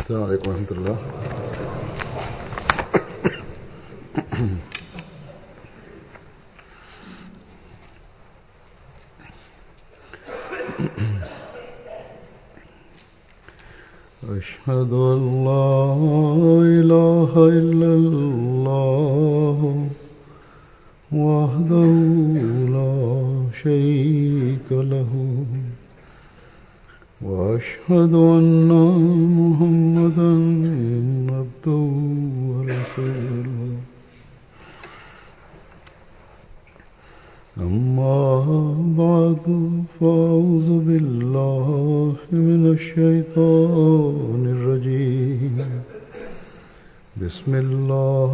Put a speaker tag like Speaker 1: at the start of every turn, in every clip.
Speaker 1: السلام عليڪم ورحمة الله. أشهد أن لا إله إلا الله وحده لا شريك له وأشهد أن محمدا عبده ورسوله. أما بعد، فأعوذ بالله من الشيطان الرجيم. بسم الله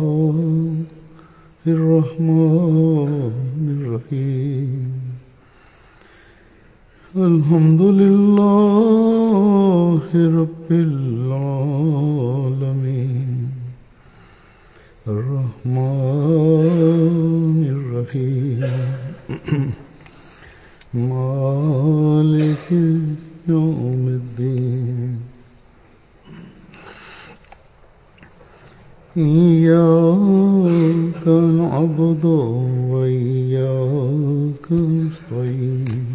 Speaker 1: الرحمن الرحيم. الحمد لله رب العالمين الرحمن الرحيم مالك يوم الدين. إياك نعبد وإياك نستعين.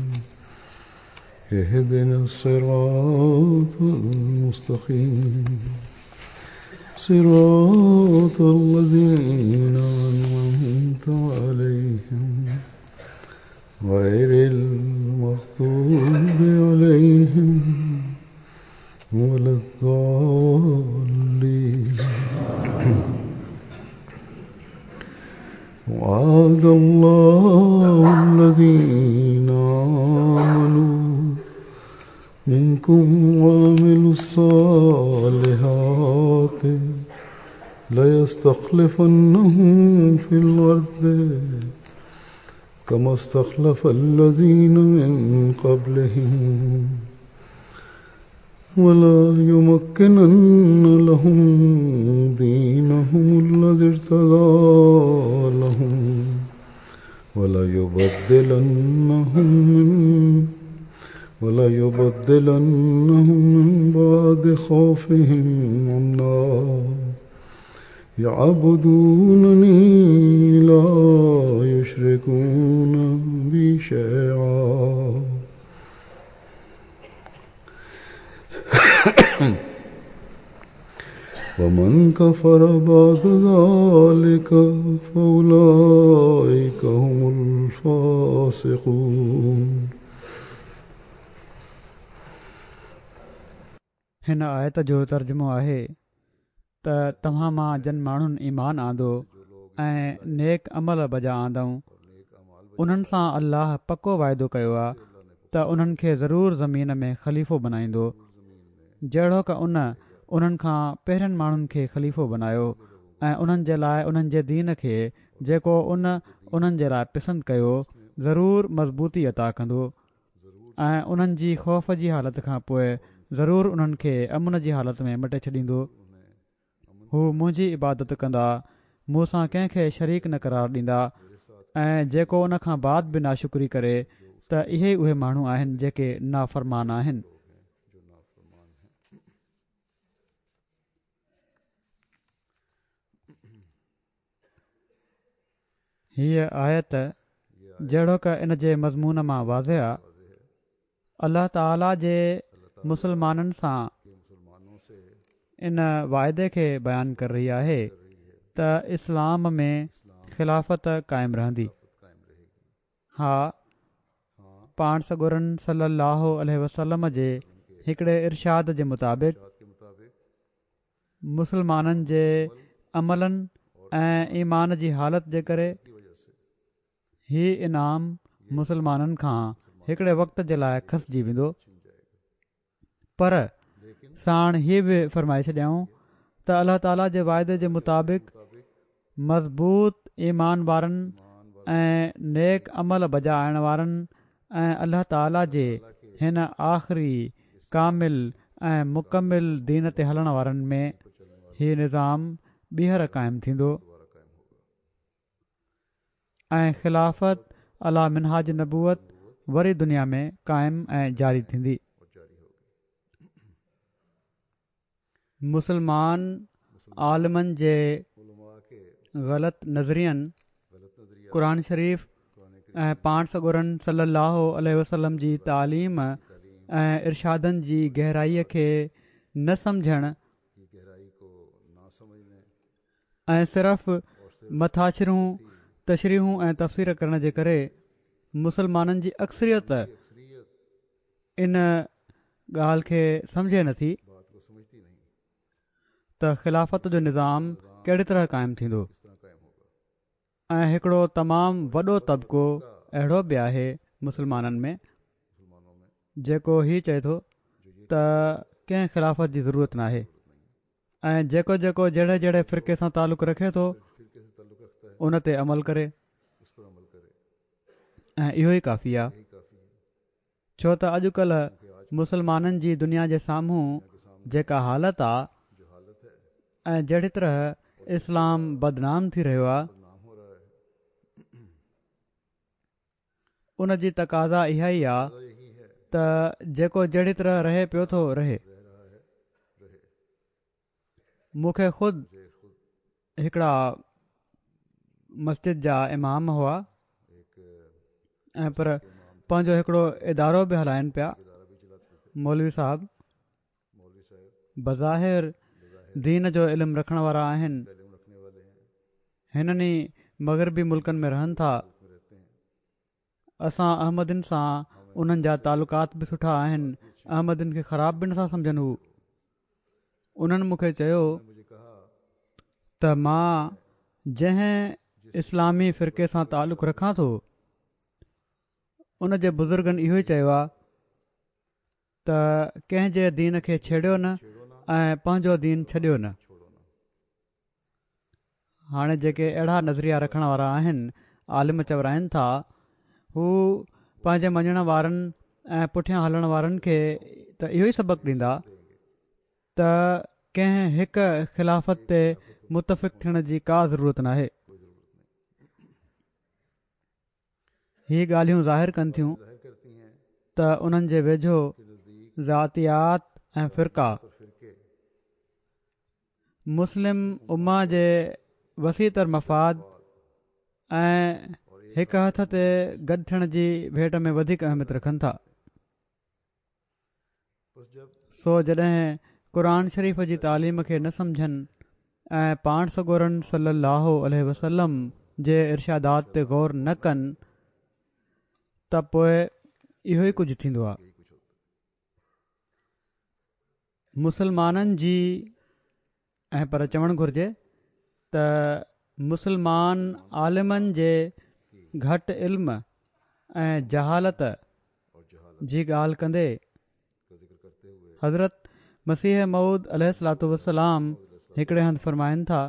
Speaker 1: اهدنا الصراط المستقيم، صراط الذين أنعمت عليهم غير المغضوب عليهم ولا الضالين. وعد الله الذين آمنوا منكم وعملوا الصالحات ليستخلفنهم في الأرض كما استخلف الذين من قبلهم ولا يمكنن لهم دينهم الذي ارتضى لهم ولا يبدلنهم من بعد خوفهم أمنا يعبدونني لا يشركون بي شيئا. ومن كفر بعد ذلك فأولئك هم الفاسقون.
Speaker 2: هن آيت جو ترجمو آهي ته توهان مان جن ماڻهن ايمان آندو ۽ نيڪ عمل بجا آندائون، انهن سان الله پڪو واعدو ڪيو آهي ته انهن کي ضرور زمين ۾ خليفو بنائيندو، جهڙوڪ ان انهن کان پهرين ماڻهن کي خليفو بنايو ۽ انهن جي لاء انهن جي دين کي جيڪو ان انهن جي لاء پسند ڪيو ضرور مضبوطي عطا ڪندو ۽ انهن جي خوف جي حالت کان پوء ضرور انهن کي امن جي حالت ۾ مٽي ڇڏيندو. هو منهنجي عبادت ڪندا، مون سان ڪنهن کي شريڪ نه قرار ڏيندا ۽ جيڪو ان کان بعد به ناشڪري ڪري ته اهي ئي اهي ماڻهو آهن جيڪي نافرمان آهن. هيء آيت جهڙوڪ ان جي مضمون مان واضح آ، الله تعاليٰ جي مسلمانن سان ان واعدي کي بيان ڪري رهي آهي ته اسلام ۾ خلافت قائم رهندي. ها، پاڻ سڳورن صلّي اللّٰه عليه وسلّم جي هڪڙي ارشاد جي مطابق، مسلمانن جي عملن ۽ ايمان جي حالت جي ڪري هي انعام مسلمانن کان هڪڙي وقت جي لاء کسجي ويندو پر ساڻ هي به فرمائي ڇڏيائون ته الله تعالي جي واعدي جي مطابق مضبوط ايمان وارن ۽ نيڪ عمل بجا آڻڻ وارن ۽ الله تعالي جي هن آخري ڪامل ۽ مڪمل دين تي هلڻ وارن ۾ هي نظام ٻيهر قائم ٿيندو ۽ خلافت عليٰ منهاج نبوت وري دنيا ۾ قائم ۽ جاري ٿيندي. مسلمان عالمن جي غلط نظرين قرآن شريف ۽ پاڻ سڳورن صلي الله عليه وسلم جي تعليم ۽ ارشادن جي گهرائي کي نه سمجهڻ ۽ صرف مٿاڇرون تشريحون ۽ تفسير ڪرڻ جي ڪري مسلمانن جي اڪثريت ان ڳالهه کي سمجهي نٿي ته خلافت جو نظام ڪهڙي طرح قائم ٿيندو ۽ هڪڙو تمام وڏو طبقو اهڙو به آهي مسلمانن ۾ جيڪو هي چئي ٿو ته ڪنهن خلافت جي ضرورت ناهي ۽ جيڪو جيڪو جهڙي جهڙي فرقي سان تعلق رکي ٿو ان تي عمل ڪري ۽ اهو ئي ڪافي آهي. ڇو ته اڄڪلهه مسلمانن جي دنيا جي سامهون جيڪا حالت آ ۽ جهڙي طرح اسلام بدنام ٿي رهيو آ ان جي تقاضا اها ئي آ ته جيڪو جهڙي طرح رهي پيو ٿو رهي. مون کي خود هڪڙا مسجد جا امام هئا ۽ پر پنهنجو هڪڙو ادارو به هلائن پيا مولوي صاحب بظاهر دين جو علم رکڻ وارا آهن هنن ئي مغربي ملڪن ۾ رهن ٿا اسان احمدين سان انهن جا تعلقات به سٺا آهن احمدين کي خراب به نٿا سمجهن هو انهن مون کي چيو ته مان جنهن اسلامي فرقي سان تعلق رکان ٿو ان جي بزرگن اهو ئي چيو آهي ته ڪنهن جي دين کي ڇيڙيو نه ۽ پنهنجو دين ڇڏيو نه. هاڻي جيڪي اهڙا نظريا رکڻ وارا آهن، عالم چورائن ٿا، هو پنهنجي مڃڻ وارن ۽ پٺيان هلڻ وارن کي ته اهو ئي سبق ڏيندا ته ڪنهن هڪ خلافت تي متفق ٿيڻ جي ڪا ضرورت ناهي. هي ڳالهيون ظاهر ڪن ٿيون ته انهن جي ويجهو ذاتيات ۽ فرقا مسلم امه جي وسيع تر مفاد ۽ هڪ هٿ تي گڏ ٿيڻ جي ڀيٽ ۾ وڌيڪ اهميت رکن ٿا. سو جڏهن قرآن شريف جي تعليم کي نه سمجهن ۽ پاڻ سڳورن صلي الله عليه وسلم جي ارشادات تي غور نه ڪن ته پوء اهو ئي ڪجهه ٿيندو آهي. مسلمانن جي ۽ پر چوڻ گهرجي ته مسلمان عالمن جي گهٽ علم ۽ جهالت جي ڳالهه ڪندي حضرت مسيح موعود عليه الصلوة والسلام هڪڙي هنڌ فرمائن ٿا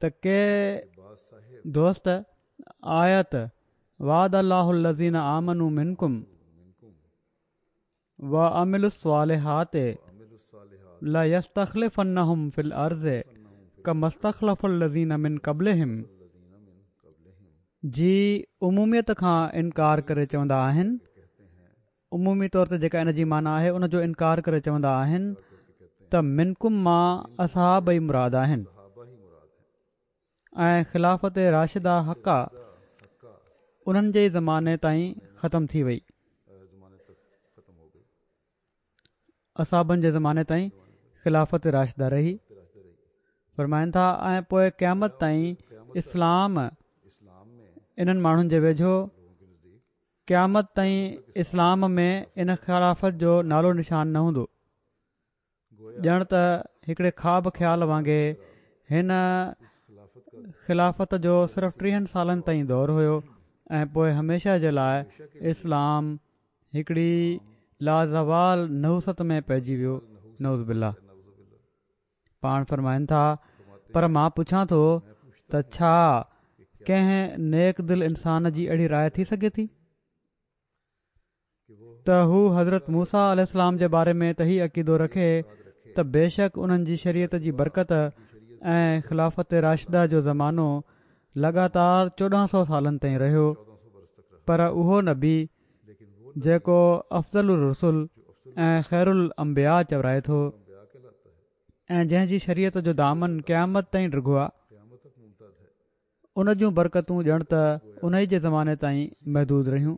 Speaker 2: ته ڪي دوست آيت وعد الله الذين آمنوا منڪم وعملوا الصالحات ليستخلفنهم في الارض ڪما استخلف الذين من قبلهم جي عموميت کان انڪار ڪري چوندا آهن عمومي طور تي جيڪا ان جي معنيٰ آهي ان جو انڪار ڪري چوندا آهن ته منڪم مان اصحاب ئي مراد آهن ۽ خلافت راشده حقه انهن جي ئي زماني تائين ختم ٿي وئي. اصحابن جي زماني تائين خلافت راشده رهي. فرمائن ٿا ۽ پوء قيامت تائين اسلام انهن ماڻهن جي ويجهو قيامت تائين اسلام ۾ ان خلافت جو نالو نشان نه هوندو. ڄڻ ته هڪڙي خواب خيال وانگي هن خلافت جو صرف ٽيهن سالن تائين دور هيو ۽ پوء هميشه جي لاء اسلام هڪڙي لازوال نحوست ۾ پئجي ويو نعوذ بالله پاڻ فرمائن ٿا پر مان پڇان ٿو ته ڇا ڪنهن نيڪ دل انسان جي اهڙي راء ٿي سگهي ٿي؟ ته هو حضرت موسيٰ عليه السلام جي باري ۾ ته هي عقيدو رکي ته بيشڪ انهن جي شريعت جي برڪت ۽ خلافت راشده جو زمانو لڳاتار 1400 سالن تائين رهيو پر اهو نبي جيڪو افضل الرسل ۽ خير الانبياء چورائي ٿو. ۽ جنهن جي شريعت جو دامن قيامت تائين ڊگهو آ، ان جون برڪتون ڄڻ ته انهي جي زماني تائين محدود رهيون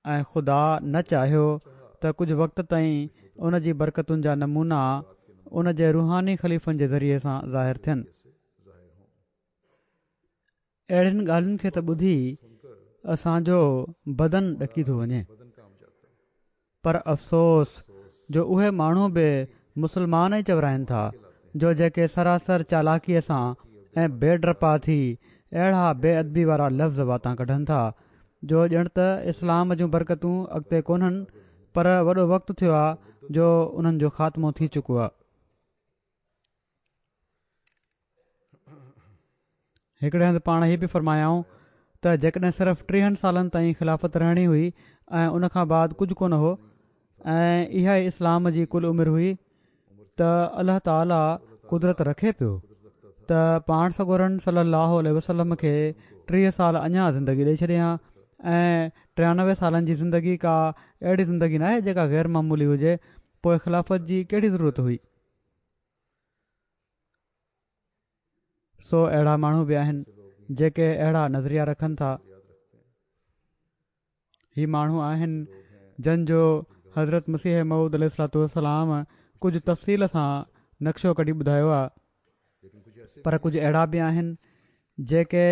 Speaker 2: ۽ خدا نه چاهيو ته ڪجهه وقت تائين ان جي برڪتن جا نمونا ان جي روحاني خليفن جي ذريعي سان ظاهر ٿين. اهڙين ڳالهين کي ته ٻڌي اسان جو بدن ڏڪي ٿو وڃي. پر افسوس جو اهي ماڻهو به مسلمان ئي چورائن ٿا جو جيڪي سراسر چالاڪيء سان ۽ بي ڊپا ٿي اهڙا بي ادبي وارا لفظ واتان ڪڍن ٿا جو ڄڻ ته اسلام جون برڪتون اڳتي ڪونهن پر وڏو وقت ٿيو آ جو انهن جو خاتمو ٿي چڪو آ. هڪڙي هنڌ پاڻ هي به فرمايائون ته جيڪڏهن صرف ٽيهن سالن تائين خلافت رهڻي هئي ۽ ان کان بعد ڪجهه ڪونه هو ۽ اها ئي اسلام جي ڪل عمر هئي ته الله تعاليٰ قدرت رکي پيو ته پاڻ سڳورن صلي الله عليه وسلم کي 30 سال اڃا زندگي ڏئي ڇڏي ها ۽ 93 سالن جي زندگي ڪا اهڙي زندگي ناهي جيڪا غير معمولي هجي پوء خلافت جي ڪهڙي ضرورت هئي؟ سو اهڙا ماڻهو به آهن جيڪي اهڙا نظريا رکن ٿا. هي ماڻهو آهن جن جو حضرت مسيح موعود عليه الصلوة والسلام ڪجهه تفصيل سان نقشو ڪڍي ٻڌايو آهي پر ڪجهه اهڙا به آهن جيڪي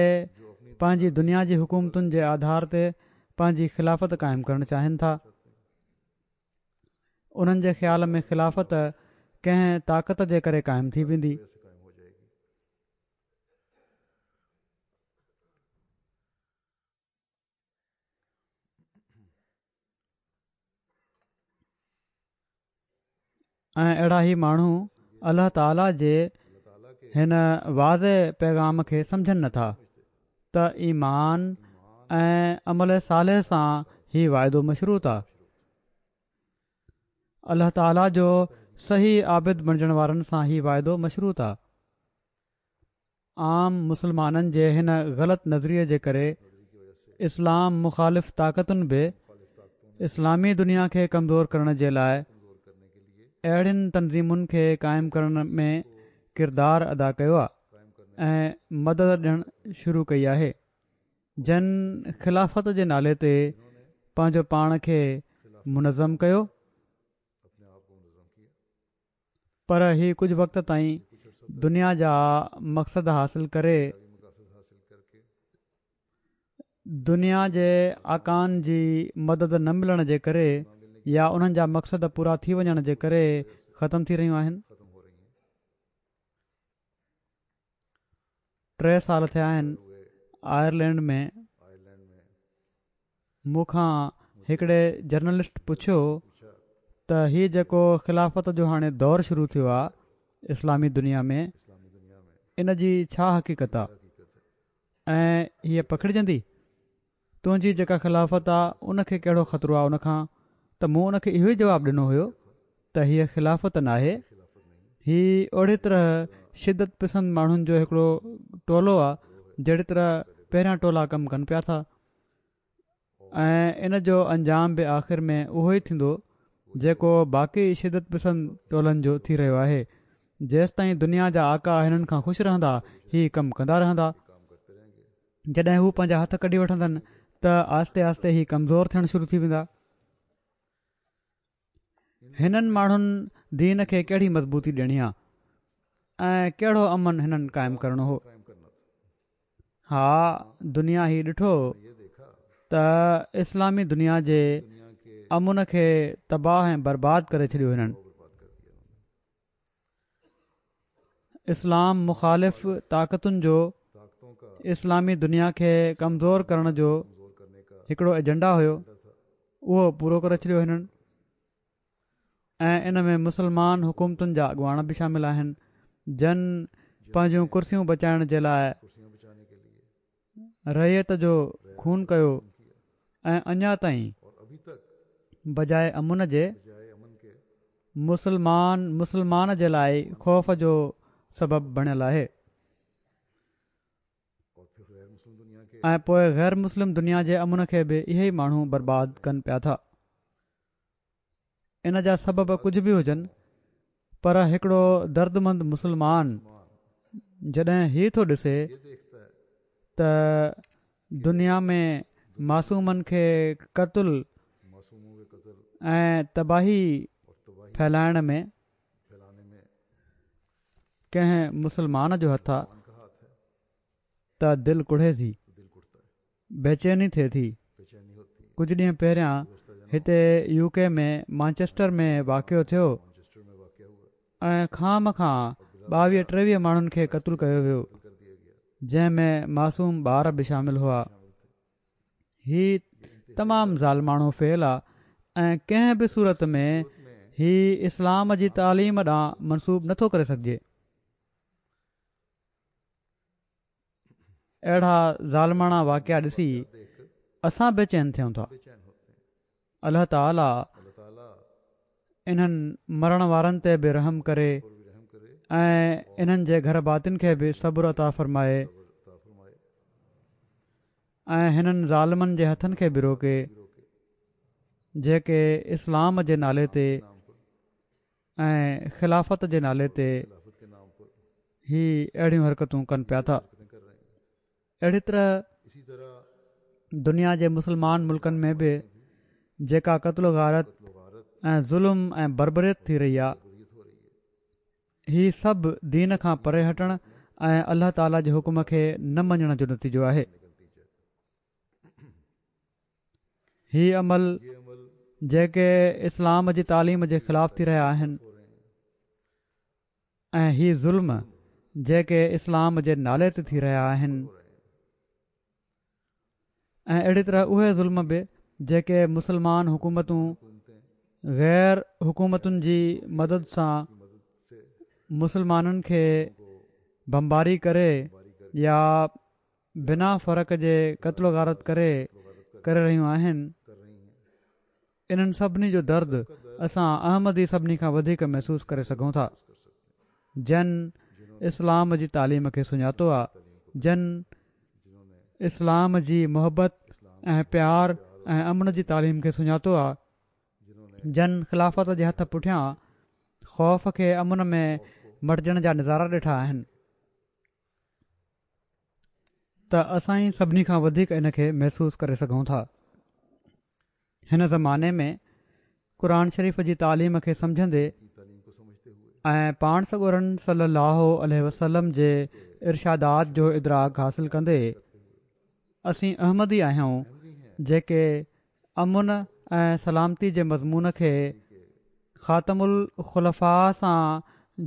Speaker 2: پنهنجي دنيا جي حڪومتن جي آڌار تي پنهنجي خلافت قائم ڪرڻ چاهين ٿا. انهن جي خيال ۾ خلافت ڪنهن طاقت جي ڪري قائم ٿي ويندي. ۽ اهڙا هي ماڻهو الله تعالي جي هن واضح پيغام کي سمجهن نٿا ته ايمان ۽ عمل صالح سان هي واعدو مشروط آ. الله تعالي جو صحيح عابد بڻجڻ وارن سان هي واعدو مشروط آ. عام مسلمانن جي هن غلط نظريي جي ڪري اسلام مخالف طاقتن به اسلامي دنيا کي ڪمزور ڪرڻ جي لاء اهڙين تنظيمن کي قائم ڪرڻ ۾ ڪردار ادا ڪيو آ ۽ مدد ڏيڻ شروع ڪئي آهي. جن خلافت جي نالي تي پنهنجو پاڻ کي منظم ڪيو پر هي ڪجهه وقت تائين دنيا جا مقصد حاصل ڪري دنيا جي آقائن جي مدد نه ملڻ جي ڪري يا انهن جا مقصد پورا ٿي وڃڻ جي ڪري ختم ٿي رهيون آهن. ٽي سال ٿيا آهن آئرلينڊ ۾ مون کان هڪڙي جرنلسٽ پڇيو ته هي جيڪو خلافت جو هاڻي دور شروع ٿيو آهي اسلامي دنيا ۾ ان جي ڇا حقيقت آهي ۽ هيء پکڙجندي؟ تنهنجي جيڪا خلافت آ ان کي ڪهڙو خطرو آ ان کان؟ ته مون ان کي اهو ئي جواب ڏنو هيو ته هيء خلافت ناهي، هي اهڙي طرح شدت پسند ماڻهن جو هڪڙو ٽولو آ جهڙي طرح پهريان ٽولا ڪم ڪن پيا ٿا ۽ ان جو انجام به آخر ۾ اهو ئي ٿيندو جيڪو باقي شدت پسند ٽولن جو ٿي رهيو آهي. جيستائين دنيا جا آقا هنن کان خوش رهندا هي ڪم ڪندا رهندا. جڏهن هو پنهنجا هٿ ڪڍي وٺندن ته آهستي آهستي هي ڪمزور ٿيڻ شروع ٿي ويندا. هنن ماڻهن دين کي ڪهڙي مضبوطي ڏيڻي آ ۽ ڪهڙو امن هنن قائم ڪرڻو هو. ها دنيا هي ڏٺو ته اسلامي دنيا جي امن کي تباهه ۽ برباد ڪري ڇڏيو هنن. اسلام مخالف طاقتن جو اسلامي دنيا کي ڪمزور ڪرڻ جو هڪڙو ايجنڊا هيو اهو پورو ڪري ڇڏيو هنن ۽ ان ۾ مسلمان حڪومتن جا اڳواڻ به شامل آهن جن پنهنجون ڪرسيون بچائڻ جي لاء رعيت جو خون ڪيو ۽ اڃا تائين بجاء امن جي مسلمان مسلمان جي لاء خوف جو سبب بڻيل آهي ۽ پوء غير مسلم دنيا جي امن کي به اهي ئي ماڻهو برباد ڪن پيا ٿا. ان جا سبب ڪجهه به هجن. پر هڪڙو دردمند مسلمان جڏهن هي ٿو ڏسي ته دنيا ۾ معصومن کي قتل ۽ تباهي ڦهلائڻ ۾ ڪنهن مسلمان جو هٿ آ ته دل ڪڙهي ٿي، بيچيني ٿئي ٿي. ڪجهه ڏينهن پهريان هتي يو ڪي ۾ مانچسٽر ۾ واقعو ٿيو ۽ خوامخواه ٻاويهه ٽيويهه ماڻهن کي قتل ڪيو ويو جنهن ۾ معصوم ٻار به شامل هئا. هي تمام ظالماڻو فعل آ ۽ ڪنهن به صورت ۾ هي اسلام جي تعليم ڏانهن منسوب نٿو ڪري سگهجي. اهڙا ظالماڻا واقعا ڏسي اسان بيچين ٿيون ٿا. الله تعالي انهن مرڻ وارن تي به رحم ڪري ۽ انهن جي گهر ڀاتين کي به صبر عطا فرمائي ۽ هنن ظالمن جي هٿن کي به روڪي جيڪي اسلام جي نالي تي ۽ خلافت جي نالي تي هي اهڙيون حرڪتون ڪن پيا ٿا. اهڙي طرح دنيا جي مسلمان ملڪن ۾ به جيڪا قتل و غارت ۽ ظلم ۽ بربريت ٿي رهي آهي هي سڀ دين کان پري هٽڻ ۽ الله تعالي جي حڪم کي نه مڃڻ جو نتيجو آهي. هي عمل جيڪي اسلام جي تعليم جي خلاف ٿي رهيا آهن ۽ هي ظلم جيڪي اسلام جي نالي تي ٿي رهيا آهن ۽ اهڙي طرح اهي ظلم به جيڪي مسلمان حڪومتون غير حڪومتن جي مدد سان مسلمانن کي بمباري ڪري يا بنا فرق جي قتل و غارت ڪري ڪري رهيون آهن انهن سڀني جو درد اسان احمدي سڀني کان وڌيڪ محسوس ڪري سگهون ٿا جن اسلام جي تعليم کي سڃاتو آ جن اسلام جي محبت ۽ پيار ۽ امن جي تعليم کي سڃاتو آ جن خلافت جي هٿ پٺيان خوف کي امن ۾ مٽجڻ جا نظارا ڏٺا آهن. ته اسان ئي سڀني کان وڌيڪ ان کي محسوس ڪري سگهون ٿا. هن زماني ۾ قرآن شريف جي تعليم کي سمجهندي ۽ پاڻ سڳورن صلي الله عليه وسلم جي ارشادات جو ادراڪ حاصل ڪندي اسين احمدي آهيون جيڪي امن ۽ سلامتي جي مضمون کي خاتم الخلفاء سان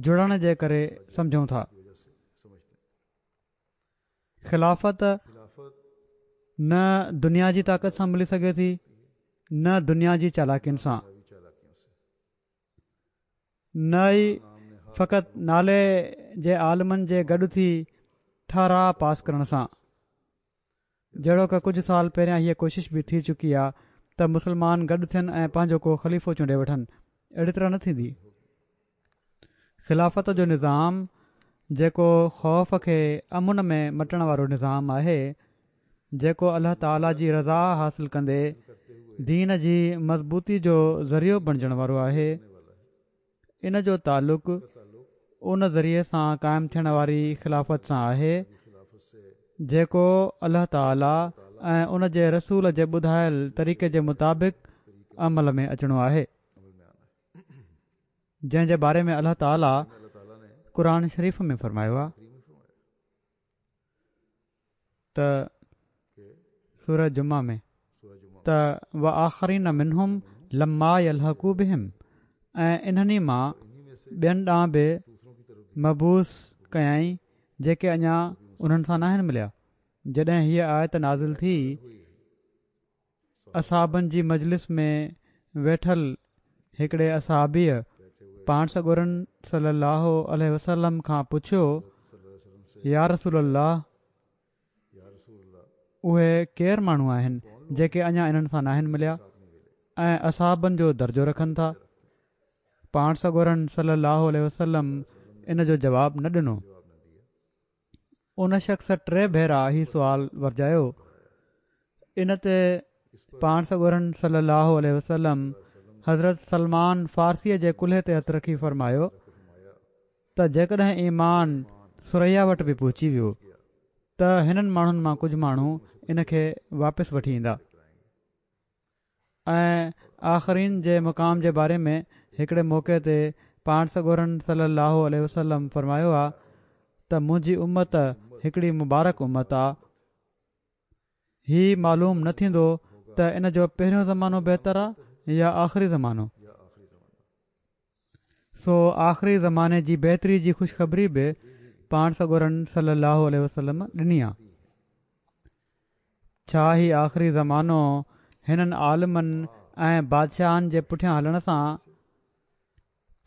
Speaker 2: جڙڻ جي ڪري سمجهون ٿا. خلافت نه دنيا جي طاقت سان ملي سگهي ٿي نه دنيا جي چالاڪين سان نه ئي فقط نالي جي عالمن جي گڏ ٿي ٺهراء پاس ڪرڻ سان جهڙوڪ ڪجهه سال پهريان هيء ڪوشش به ٿي چڪي آ ته مسلمان گڏ ٿين ۽ پنهنجو ڪو خليفو چونڊي وٺن اهڙي طرح نه ٿيندي. خلافت جو نظام جيڪو خوف کي امن ۾ مٽڻ وارو نظام آهي، جيڪو الله تعالي جي رضا حاصل ڪندي دين جي مضبوطي جو ذريعو بڻجڻ وارو آهي، ان جو تعلق ان ذريعي سان قائم ٿيڻ واري خلافت سان آهي، جيڪو الله تعالي ۽ ان جي رسول جي ٻڌايل طريقي جي مطابق عمل ۾ اچڻو آهي. جنهن جي باري ۾ الله تعالي قرآن شريف ۾ فرمايو آهي ته سوره جمعه ۾ ته وآخرين منهم لما يلحقوا بهم ۽ انهن ئي مان ٻين ڏانهن به مبعوث ڪيائين جيڪي اڃا انهن سان ناهن مليا جڏهن هيء آيت نازل ٿي اصحابن جي مجلس ۾ ويٺل هڪڙي اصحابيء پاڻ سڳورن صلّي اللّٰه عليه وسلّم کان پڇيو، يا رسول الله! اهي ڪير ماڻهو آهن جيڪي اڃا انهن سان ناهن مليا ۽ اصحابن جو درجو رکن ٿا؟ پاڻ سڳورن صلّي اللّٰه عليه وسلّم ان جو جواب نه ڏنو. ان شخص ٽي ڀيرا هي سوال ورجايو. ان تي پاڻ سڳورن صلي الله عليه وسلم حضرت سلمان فارسيء جي ڪلهي تي هٿ رکي فرمايو. ته جيڪڏهن ايمان ثريا وٽ به پهچي ويو ته هنن ماڻهن مان ڪجهه ماڻهو ان کي واپس وٺي ايندا ۽ آخرين جي مقام جي باري ۾ هڪڙي موقعي تي پاڻ سڳورن صلي الله عليه وسلم فرمايو آ ته منهنجي امت هڪڙي مبارڪ امت آ هي معلوم نه ٿيندو ته ان جو پهريون زمانو بهتر آ يا آخري زمانو. سو آخري زماني جي بهتري جي خوشخبري به پاڻ سڳورن صلي الله عليه وسلم ڏني آ. ڇا هي آخري زمانو هنن عالمن ۽ بادشاهن جي پٺيان هلڻ سان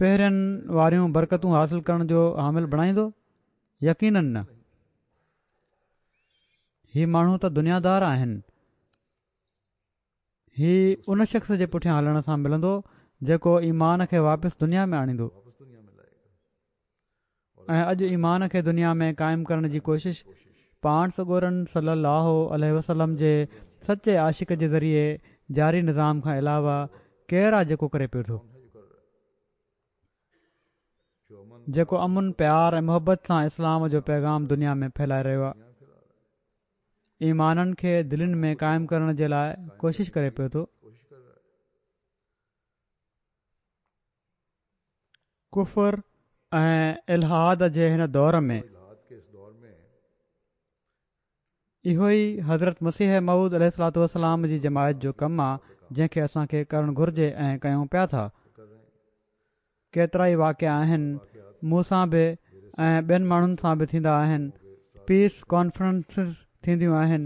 Speaker 2: پهرين واريون برڪتون حاصل ڪرڻ جو حامل بڻائيندو؟ يقينن نه. هي ماڻهو ته دنيادار آهن. هي ان شخص جي پٺيان هلڻ سان ملندو جيڪو ايمان کي واپس دنيا ۾ آڻيندو ۽ اڄ ايمان کي دنيا ۾ قائم ڪرڻ جي ڪوشش پاڻ سڳورن صلي الله عليه وسلم جي سچي عاشق جي ذريعي جاري نظام کان علاوه ڪير آ جيڪو ڪري پيو ٿو؟ جيڪو امن، پيار ۽ محبت سان اسلام جو پيغام دنيا ۾ ڦهلائي رهيو آ. ايمانن کي دلين ۾ قائم ڪرڻ جي لاء ڪوشش ڪري پيو ٿو. ڪفر ۽ الحاد جي هن دور ۾ اهو ئي حضرت مسيح موعود عليه الصلوة والسلام جي جماعت جو ڪم آ جنهن کي اسان کي ڪرڻ گهرجي ۽ ڪيون پيا ٿا. ڪيترائي واقعا آهن مون سان به ۽ ٻين ماڻهن سان به ٿيندا آهن پيس ڪانفرنسز ٿينديون آهن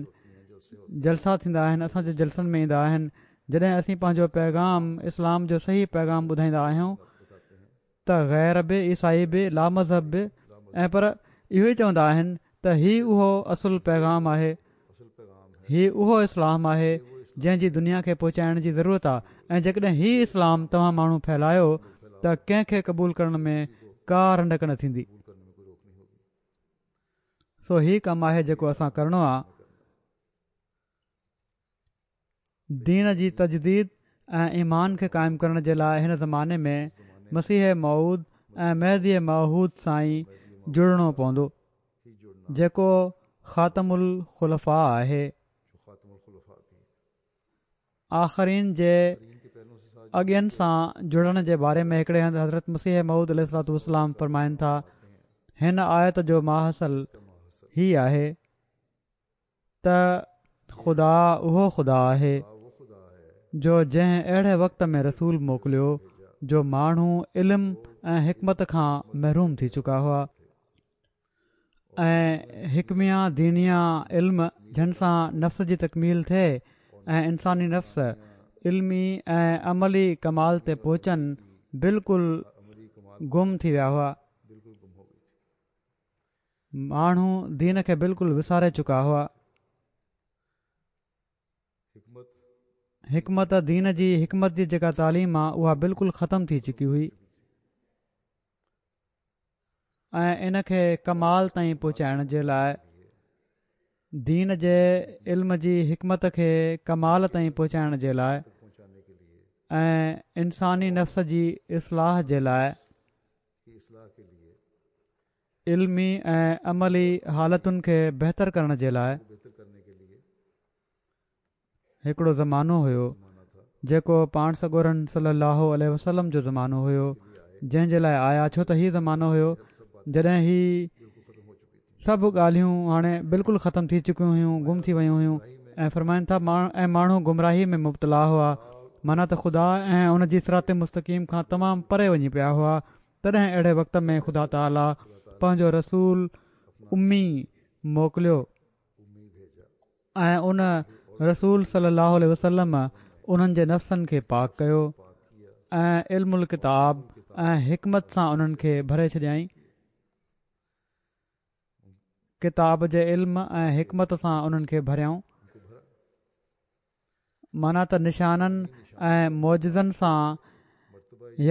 Speaker 2: جلسا ٿيندا آهن اسان جي جلسن ۾ ايندا آهن جڏهن اسين پنهنجو پيغام اسلام جو صحيح پيغام ٻڌائيندا آهيون ته غير به عيسائي به لامذهب به ۽ پر اهو ئي چوندا آهن ته هي اهو اصل پيغام آهي، هي اهو اسلام آهي جنهن جي دنيا کي پهچائڻ جي ضرورت آ ۽ جيڪڏهن هي اسلام توهان ماڻهو ڦهلايو ته ڪنهن کي قبول ڪرڻ ۾ ڪا رنڊڪ نه ٿيندي. سو هي ڪم آهي جيڪو اسان ڪرڻو آ. دين جي تجديد ۽ ايمان کي قائم ڪرڻ جي لاء هن زماني ۾ مسيح موعود ۽ مهدي معهود سان ئي جڙڻو پوندو جيڪو خاتم الخلفاء آهي. آخرين جي اڳين سان جڙڻ جي باري ۾ هڪڙي هنڌ حضرت مسيح موعود عليه الصلوة والسلام فرمائن ٿا هن آيت جو ماحصل هي آهي ته خدا اهو خدا آهي جو جنهن اهڙي وقت ۾ رسول موڪليو جو ماڻهو علم ۽ حڪمت کان محروم ٿي چڪا هئا ۽ حڪميه دينيه علم جن سان نفس جي تڪميل ٿئي ۽ انساني نفس علمي ۽ عملي ڪمال تي پهچن بلڪل گم ٿي ويا هئا. ماڻهو دين کي بلڪل وساري چڪا هئا. حڪمت دين جي حڪمت جي جيڪا تعليم آ اها بلڪل ختم ٿي چڪي هئي ۽ ان کي ڪمال تائين پهچائڻ جي لاء دين جي علم جي حڪمت کي ڪمال تائين پهچائڻ جي لاء ۽ انساني نفس جي اصلاح جي لاء علمي ۽ عملي حالتن کي بهتر ڪرڻ جي لاء هڪڙو زمانو هيو جيڪو پاڻ سڳورن صلي الله عليه وسلم جو زمانو هيو جنهن جي لاء آيا ڇو ته هي زمانو هيو جڏهن هي سڀ ڳالهيون هاڻي بلڪل ختم ٿي چڪيون هيون گم ٿي ويون هيون ۽ فرمائن ٿا ۽ ماڻهو گمراهي ۾ مبتلا هئا معنيٰ ته خدا ۽ ان جي صراط مستقيم کان تمام پري وڃي پيا هئا تڏهن اهڙي وقت ۾ خدا تعاليٰ پنهنجو رسول امي موڪليو ۽ ان رسول صلي الله عليه وسلم انهن جي نفسن کي پاڪ ڪيو ۽ علم الڪتاب ۽ حڪمت سان انهن کي ڀري ڇڏيائين. ڪتاب جي علم ۽ حڪمت سان انهن کي ڀريائون. معنيٰ ته نشانن ۽ معجزن سان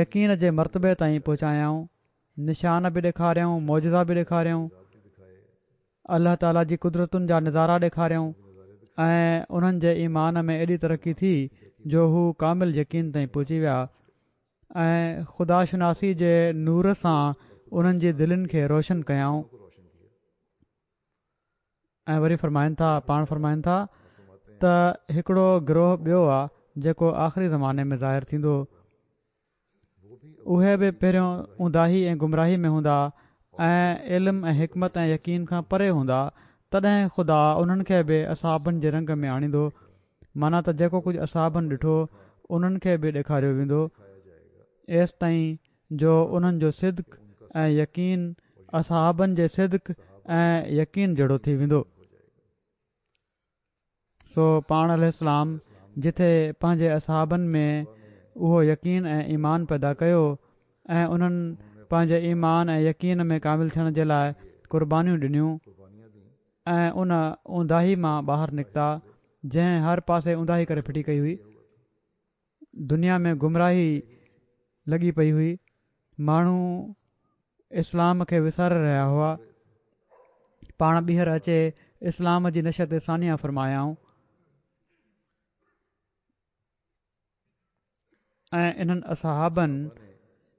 Speaker 2: يقين جي مرتبي تائين پهچايائون، نشان به ڏيکاريائون، معجزا به ڏيکاريائون، الله تعاليٰ جي قدرتن جا نظارا ڏيکاريائون ۽ انهن جي ايمان ۾ ايڏي ترقي ٿي جو هو ڪامل يقين تائين پهچي ويا ۽ خدا شناسي جي نور سان انهن جي دلين کي روشن ڪيائون. ۽ وري فرمائن ٿا، پاڻ فرمائن ٿا ته هڪڙو گروهه ٻيو آ جيڪو آخري زماني ۾ ظاهر ٿيندو، اهي به پهريون اونداهي ۽ گمراهي ۾ هوندا ۽ علم ۽ حڪمت ۽ يقين کان پري هوندا، تڏهن خدا انهن کي به اصحابن جي رنگ ۾ آڻيندو، معنيٰ ته جيڪو ڪجهه اصحابن ڏٺو انهن کي به ڏيکاريو ويندو، ايستائين جو انهن جو صدق ۽ يقين اصحابن جي صدق ۽ يقين جهڙو ٿي ويندو. سو پاڻ عليه السلام جٿي پنهنجي اصحابن ۾ اهو يقين ۽ ايمان پيدا ڪيو ۽ انهن پنهنجي ايمان ۽ يقين ۾ ڪامل ٿيڻ جي لاء قربانيون ڏنيون ۽ ان اونداهي مان ٻاهر نڪتا جنهن هر پاسي اونداهي ڪري ڦٽي ڪئي هئي. دنيا ۾ گمراهي لڳي پئي هئي، ماڻهو اسلام کي وساري رهيا هئا، پاڻ ٻيهر اچي اسلام جي نشأت ثانيه فرمايائون ۽ انهن اصحابن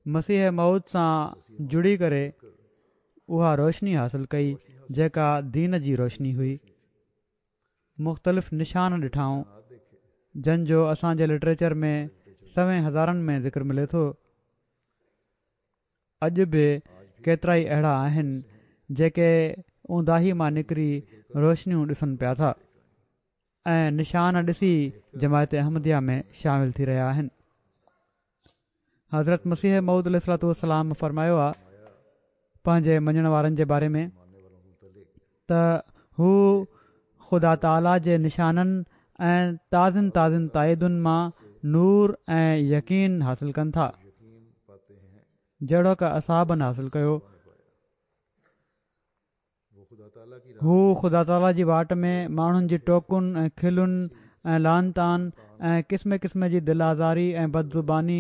Speaker 2: مسيح موعود سان جڙي ڪري اها روشني حاصل ڪئي جيڪا دين جي روشني هئي. مختلف نشان ڏٺائون جن جو اسان جي لٽريچر ۾ سوين هزارن ۾ ذڪر ملي ٿو. اڄ به ڪيترائي اهڙا آهن جيڪي اونداهي مان نڪري روشنيون ڏسن پيا ٿا ۽ نشان ڏسي جماعت احمديه ۾ شامل ٿي رهيا آهن. حضرت مسيح موعود عليه الصلوة والسلام فرمايو آ پنهنجي مڃڻ وارن جي باري ۾ ته هو خدا تعاليٰ جي نشانن ۽ تازين تازين تائيدن مان نور ۽ يقين حاصل ڪن ٿا جهڙوڪ اصحابن حاصل ڪيو. هو خدا تعاليٰ جي واٽ ۾ ماڻهن جي ٽوڪن ۽ کلن ۽ لعن طعن ۽ قسم قسم جي دل آزاري ۽ بدزباني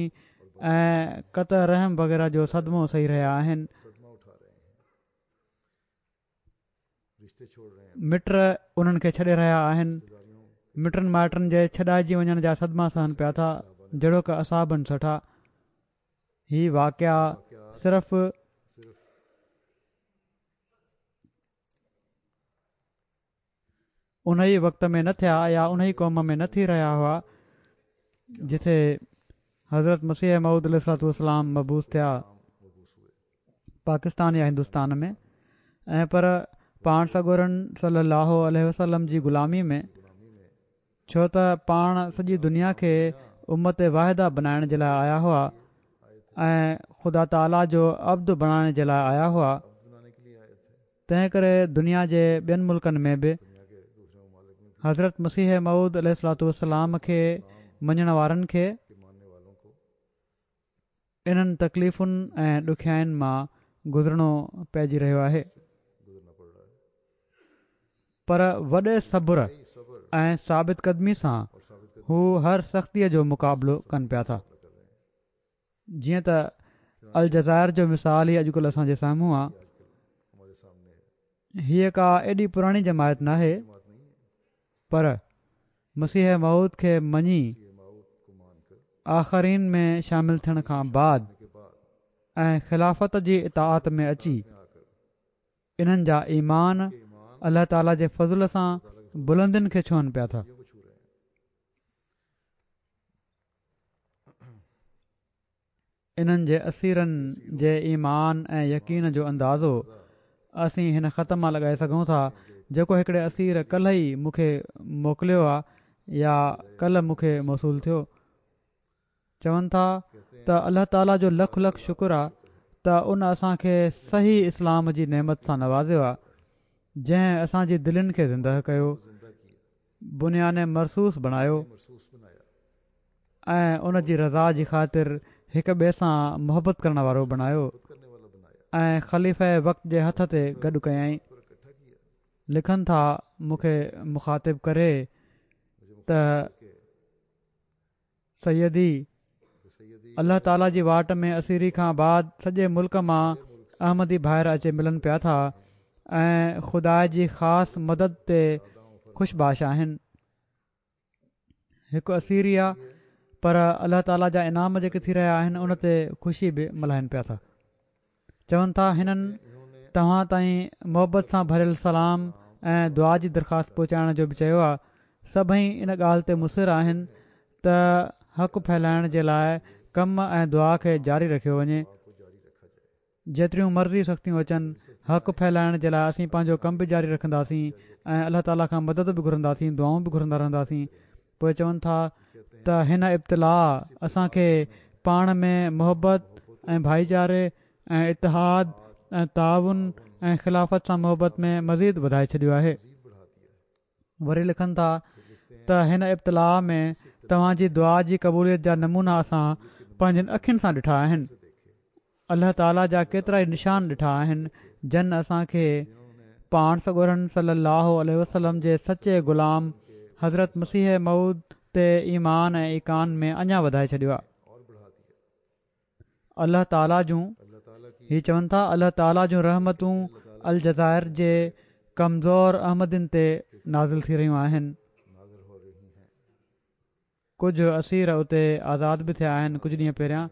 Speaker 2: ۽ قطع رحم وغيره جو صدمو سهي رهيا آهن. مٽ انهن کي ڇڏي رهيا آهن. مٽن مائٽن جي ڇڏائجي وڃڻ جا صدما سهن پيا ٿا جهڙوڪ اصحابن سٺا. هي واقعا صرف. انهيء وقت ۾ نه ٿيا يا انهيء قوم ۾ نه ٿي رهيا هئا جٿي حضرت مسيح موعود عليه الصلوة والسلام مبعوث ٿيا پاڪستان يا هندستان ۾ ۽ پر پاڻ سڳورن صلي الله عليه وسلم جي غلامي ۾ ڇو ته پاڻ سڄي دنيا کي امت واحده بنائڻ جي لاء آيا هئا ۽ خدا تعاليٰ جو عبد بڻائڻ جي لاء آيا هئا تنهن ڪري دنيا جي ٻين ملڪن ۾ به حضرت مسيح موعود عليه الصلوة والسلام کي مڃڻ وارن کي انهن تڪليفن ۽ ڏکيائين مان گذرڻو پئجي رهيو آهي پر وڏي صبر ۽ ثابت قدمي سان هو هر سختيء جو مقابلو ڪن پيا ٿا جيئن ته الجزائر جو مثال ئي اڄڪلهه اسان جي سامهون آ هيء ڪا ايڏي پراڻي جماعت ناهي پر مسيح موعود کي مڃي آخرين ۾ شامل ٿيڻ کان بعد ۽ خلافت جي اطاعت ۾ اچي انهن جا ايمان الله تعالي جي فضل سان بلندين کي ڇهن پيا ٿا. انهن جي اسيرن جي ايمان ۽ يقين جو اندازو اسين هن خط مان لڳائي سگهون ٿا جيڪو هڪڙي اسير ڪلهه ئي مون کي موڪليو آ يا ڪلهه مون کي موصول ٿيو. چون ٿا ته الله تعالي جو لک لک شڪر آ ته ان اسان کي صحيح اسلام جي نعمت سان نوازيو آ جنهن اسان جي دلين کي زندهه ڪيو، بنيان مرصوص بڻايو. ۽ ان جي رضا جي خاطر هڪ ٻئي سان محبت ڪرڻ وارو بڻايو ۽ خليفه وقت جي هٿ تي گڏ ڪيائين. لکن ٿا مون کي مخاطب ڪري ته سيدي الله تعالي جي واٽ ۾ اسيري کان بعد سڄي ملڪ مان احمدي ڀائر اچي ملن پيا ٿا ۽ خدا جي خاص مدد تي خوش باش آهن. هڪ اسيري آ پر الله تعالي جا انعام جيڪي ٿي رهيا آهن ان تي خوشي به ملهائن پيا ٿا. چون ٿا هنن توهان تائين محبت سان ڀريل سلام ۽ دعا جي درخواست پهچائڻ جو به چيو آهي. سڀئي ان ڳالهه تي مصر آهن ته حق ڦهلائڻ جي لاء ڪم ۽ دعا کي جاري رکيو وڃي. جيتريون مرضي سختيون اچن، حق ڦهلائڻ جي لاء اسين پنهنجو ڪم به جاري رکنداسين ۽ الله تعالي کان مدد به گهرنداسين، دعائون به گهرندا رهنداسين. پوء چون ٿا ته هن ابتلاء اسان کي پاڻ ۾ محبت ۽ ڀائيچاري ۽ اتحاد ۽ تعاون ۽ خلافت سان محبت ۾ مزيد وڌائي ڇڏيو آهي. وري لکن ٿا ته هن ابتلاء ۾ توهان جي دعا جي قبوليت جا نمونا اسان پنهنجين اکين سان ڏٺا آهن. الله تعالي جا ڪيترائي نشان ڏٺا آهن جن اسان کي پاڻ سڳورن صلي الله عليه وسلم جي سچي غلام حضرت مسيح موعود تي ايمان ۽ ايقان ۾ اڃا وڌائي ڇڏيو آهي. الله تعالي جون هي چون ٿا الله تعالي جون رحمتون الجزائر جي ڪمزور احمدين تي نازل ٿي رهيون آهن. ڪجهه اسير اتي آزاد به ٿيا آهن ڪجهه ڏينهن پهريان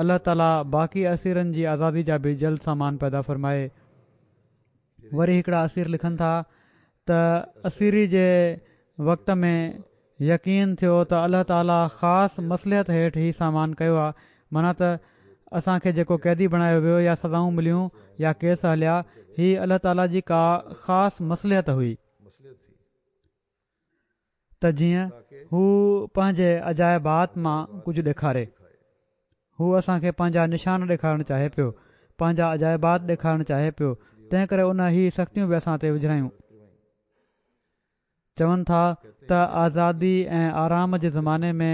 Speaker 2: الله تعالي باقي اسيرن جي آزادي جا به جلد سامان پيدا فرمائي وري هڪڙا اسير لکن ٿا ته اسيري جي وقت ۾ يقين ٿيو ته الله تعالي خاص مصلحت هيٺ هي سامان ڪيو آهي معنيٰ ته اسان کي جيڪو قيدي بڻايو ويو يا سزائون مليون يا ڪيس هليا هي الله تعالي جي ڪا خاص مصلحت هئي ته جيئن هو پنهنجي عجائبات مان ڪجهه ڏيکاري. هو اسان کي پنهنجا نشان ڏيکارڻ چاهي پيو، پنهنجا عجائبات ڏيکارڻ چاهي پيو، تنهن ڪري ان هي سختيون به اسان تي وجهرايون. چون ٿا ته آزادي ۽ آرام جي زماني ۾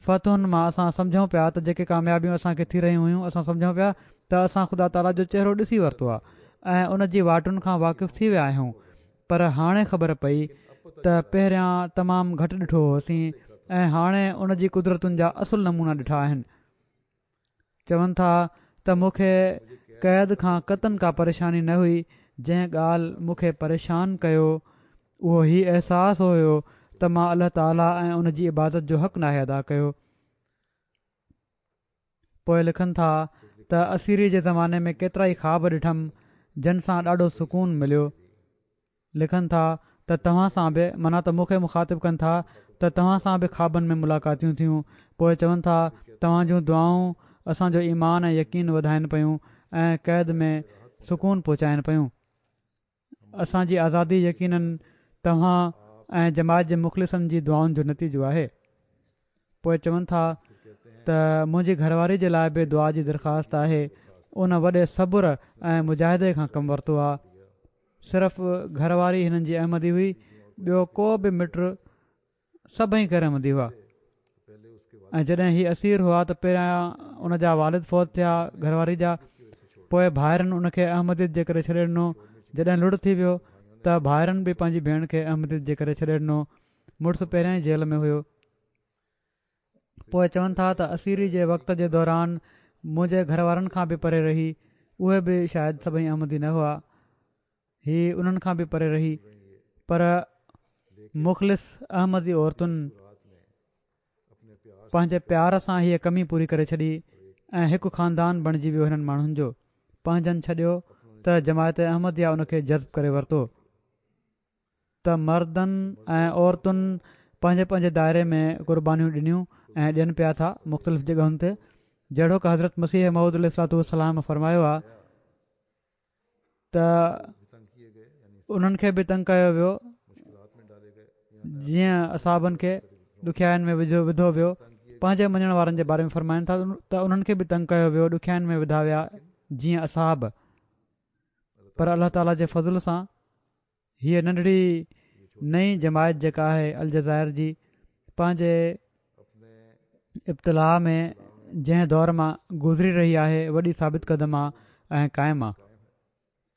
Speaker 2: فتحن مان اسان سمجهون پيا ته جيڪي ڪاميابيون اسان کي ٿي رهيون هيون اسان سمجهون پيا ته اسان خدا تعاليٰ جو چهرو ڏسي ورتو آهي ۽ ان جي واٽن کان واقف ٿي ويا آهيون پر هاڻي خبر پئي ته پهريان تمام گهٽ ڏٺو هوسين ۽ هاڻي ان جي قدرتن جا اصل نمونا ڏٺا آهن. چون ٿا ته مون کي قيد کان قطعاً ڪا پريشاني نه هئي، جنهن ڳالهه مون کي پريشان ڪيو اهو هي احساس هيو ته مان الله تعاليٰ ۽ ان جي عبادت جو حق ناهي ادا ڪيو. پوء لکن ٿا ته اسيري جي زماني ۾ ڪيترائي خواب ڏٺم جن سان ڏاڍو سڪون مليو. لکن ٿا ته توهان سان به، معنيٰ ته مون کي مخاطب ڪن ٿا ته توهان سان به خوابن ۾ ملاقاتيون ٿيون، پوء چون ٿا توهان جون دعائون اسان جو ايمان ۽ يقين وڌائن پيون ۽ قيد ۾ سڪون پهچائن پيون. اسان جي آزادي يقيناً توهان ۽ جماعت جي مخلصن جي دعائن جو نتيجو آهي. پوء چون ٿا ته منهنجي گهرواري جي لاء به دعا جي درخواست آهي، ان وڏي صبر ۽ مجاهدي کان ڪم ورتو آهي. صرف گهر واري هنن جي احمدي هئي، ٻيو ڪو به مٽ سڀئي غير احمدي هئا ۽ جڏهن هي اسير هئا ته پهريان ان جا والد فوت ٿيا گهر واري جا پوء ڀائرن ان کي احمديت جي ڪري ڇڏي ڏنو جڏهن لڙ ٿي ويو ته ڀائرن به پنهنجي ڀيڻ کي احمديت جي ڪري ڇڏي ڏنو مڙس پهريان ئي جيل ۾ هيو. پوء چون ٿا ته اسيري جي وقت جي دوران منهنجي گهر وارن کان به پري رهي، اهي به شايد سڀئي احمدي نه هئا، هي انهن کان به پري رهي، پر مخلص احمدي عورتن پنهنجي پيار سان هيء ڪمي پوري ڪري ڇڏي ۽ هڪ خاندان بڻجي ويو هنن ماڻهن جو، پنهنجن ڇڏيو ته جماعت احمديه ان کي جذب ڪري ورتو. ته مردن ۽ عورتن پنهنجي پنهنجي دائري ۾ قربانيون ڏنيون ۽ ڏين پيا ٿا مختلف جڳهن تي جهڙوڪ حضرت مسيح موعود عليه الصلوة والسلام فرمايو آهي ته انهن کي به تنگ ڪيو ويو جيئن اصحابن کي ڏکيائين ۾ وجهو وڌو ويو پنهنجي مڃڻ وارن جي باري ۾ فرمائن ٿا ته انهن کي به تنگ ڪيو ويو ڏکيائين ۾ وڌا ويا جيئن اصحاب پر الله تعالي جي فضل سان هيء ننڍڙي نئين جماعت جيڪا آهي الجزائر جي پنهنجي ابتلاء ۾ جنهن دور مان گذري رهي آهي وڏي ثابت قدم آ ۽ قائم آ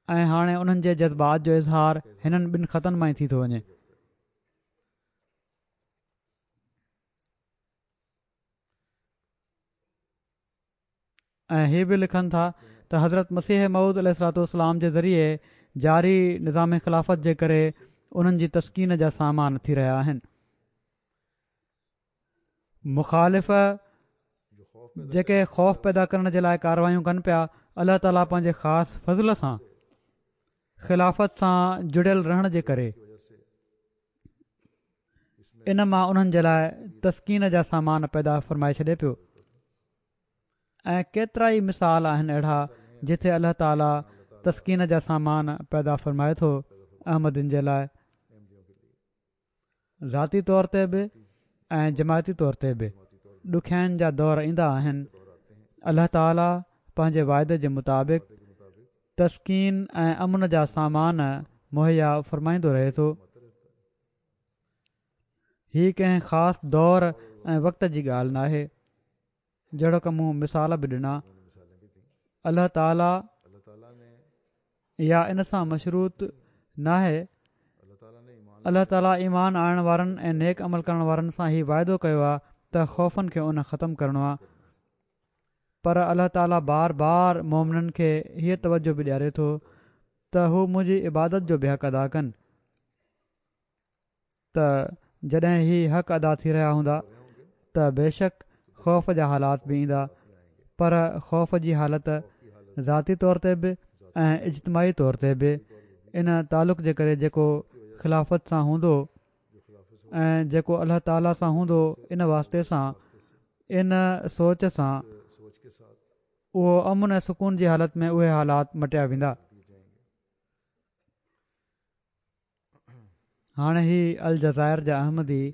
Speaker 2: ۽ هاڻي انهن جي جذبات جو اظهار هنن ٻن خطن مان ئي ٿي ٿو وڃي. ۽ هي به لکن ٿا ته حضرت مسيح موعود عليه الصلوة والسلام جي ذريعي جاري نظام خلافت جي ڪري انهن جي تسڪين جا سامان ٿي رهيا آهن. مخالف جيڪي خوف پيدا ڪرڻ جي لاء ڪارروايون ڪن پيا، الله تعاليٰ پنهنجي خاص فضل سان خلافت سان جڙيل رهڻ جي ڪري ان مان انهن جي لاء تسڪين جا سامان پيدا فرمائي ڇڏي پيو ۽ ڪيترائي مثال آهن اهڙا جتي الله تعاليٰ تسڪين جا سامان پيدا فرمائي ٿو احمدين جي لاء ذاتي طور تي به ۽ جماعتي طور تي به ڏکيائين جا دور ايندا آهن الله تعالي پنهنجي وعدي جي مطابق تسڪين ۽ امن جا سامان مهيا فرمائيندو رهي ٿو هي ڪنهن خاص دور ۽ وقت جي ڳالهه ناهي جهڙوڪ مون مثال به ڏنا، الله تعالي يا ان سان مشروط ناهي، الله تعالي ايمان آڻڻ وارن ۽ نيڪ عمل ڪرڻ وارن سان هي واعدو ڪيو آهي ته خوفن کي ان ختم ڪرڻو آهي پر الله تعالي بار بار مومنن کي هيء توجه به ڏياري ٿو ته هو منهنجي عبادت جو به حق ادا ڪن. ته جڏهن هي حق ادا ٿي رهيا هوندا ته بيشڪ خوف جا حالات به ايندا پر خوف جي حالت ذاتي طور تي به ۽ اجتماعي طور تي به ان تعلق جي ڪري جيڪو خلافت سان هوندو ۽ جيڪو الله تعالي سان هوندو ان واسطي سان ان سوچ سان اهو امن ۽ سڪون جي حالت ۾ اهي حالات مٽيا ويندا. هاڻي هي الجزائر جا احمدي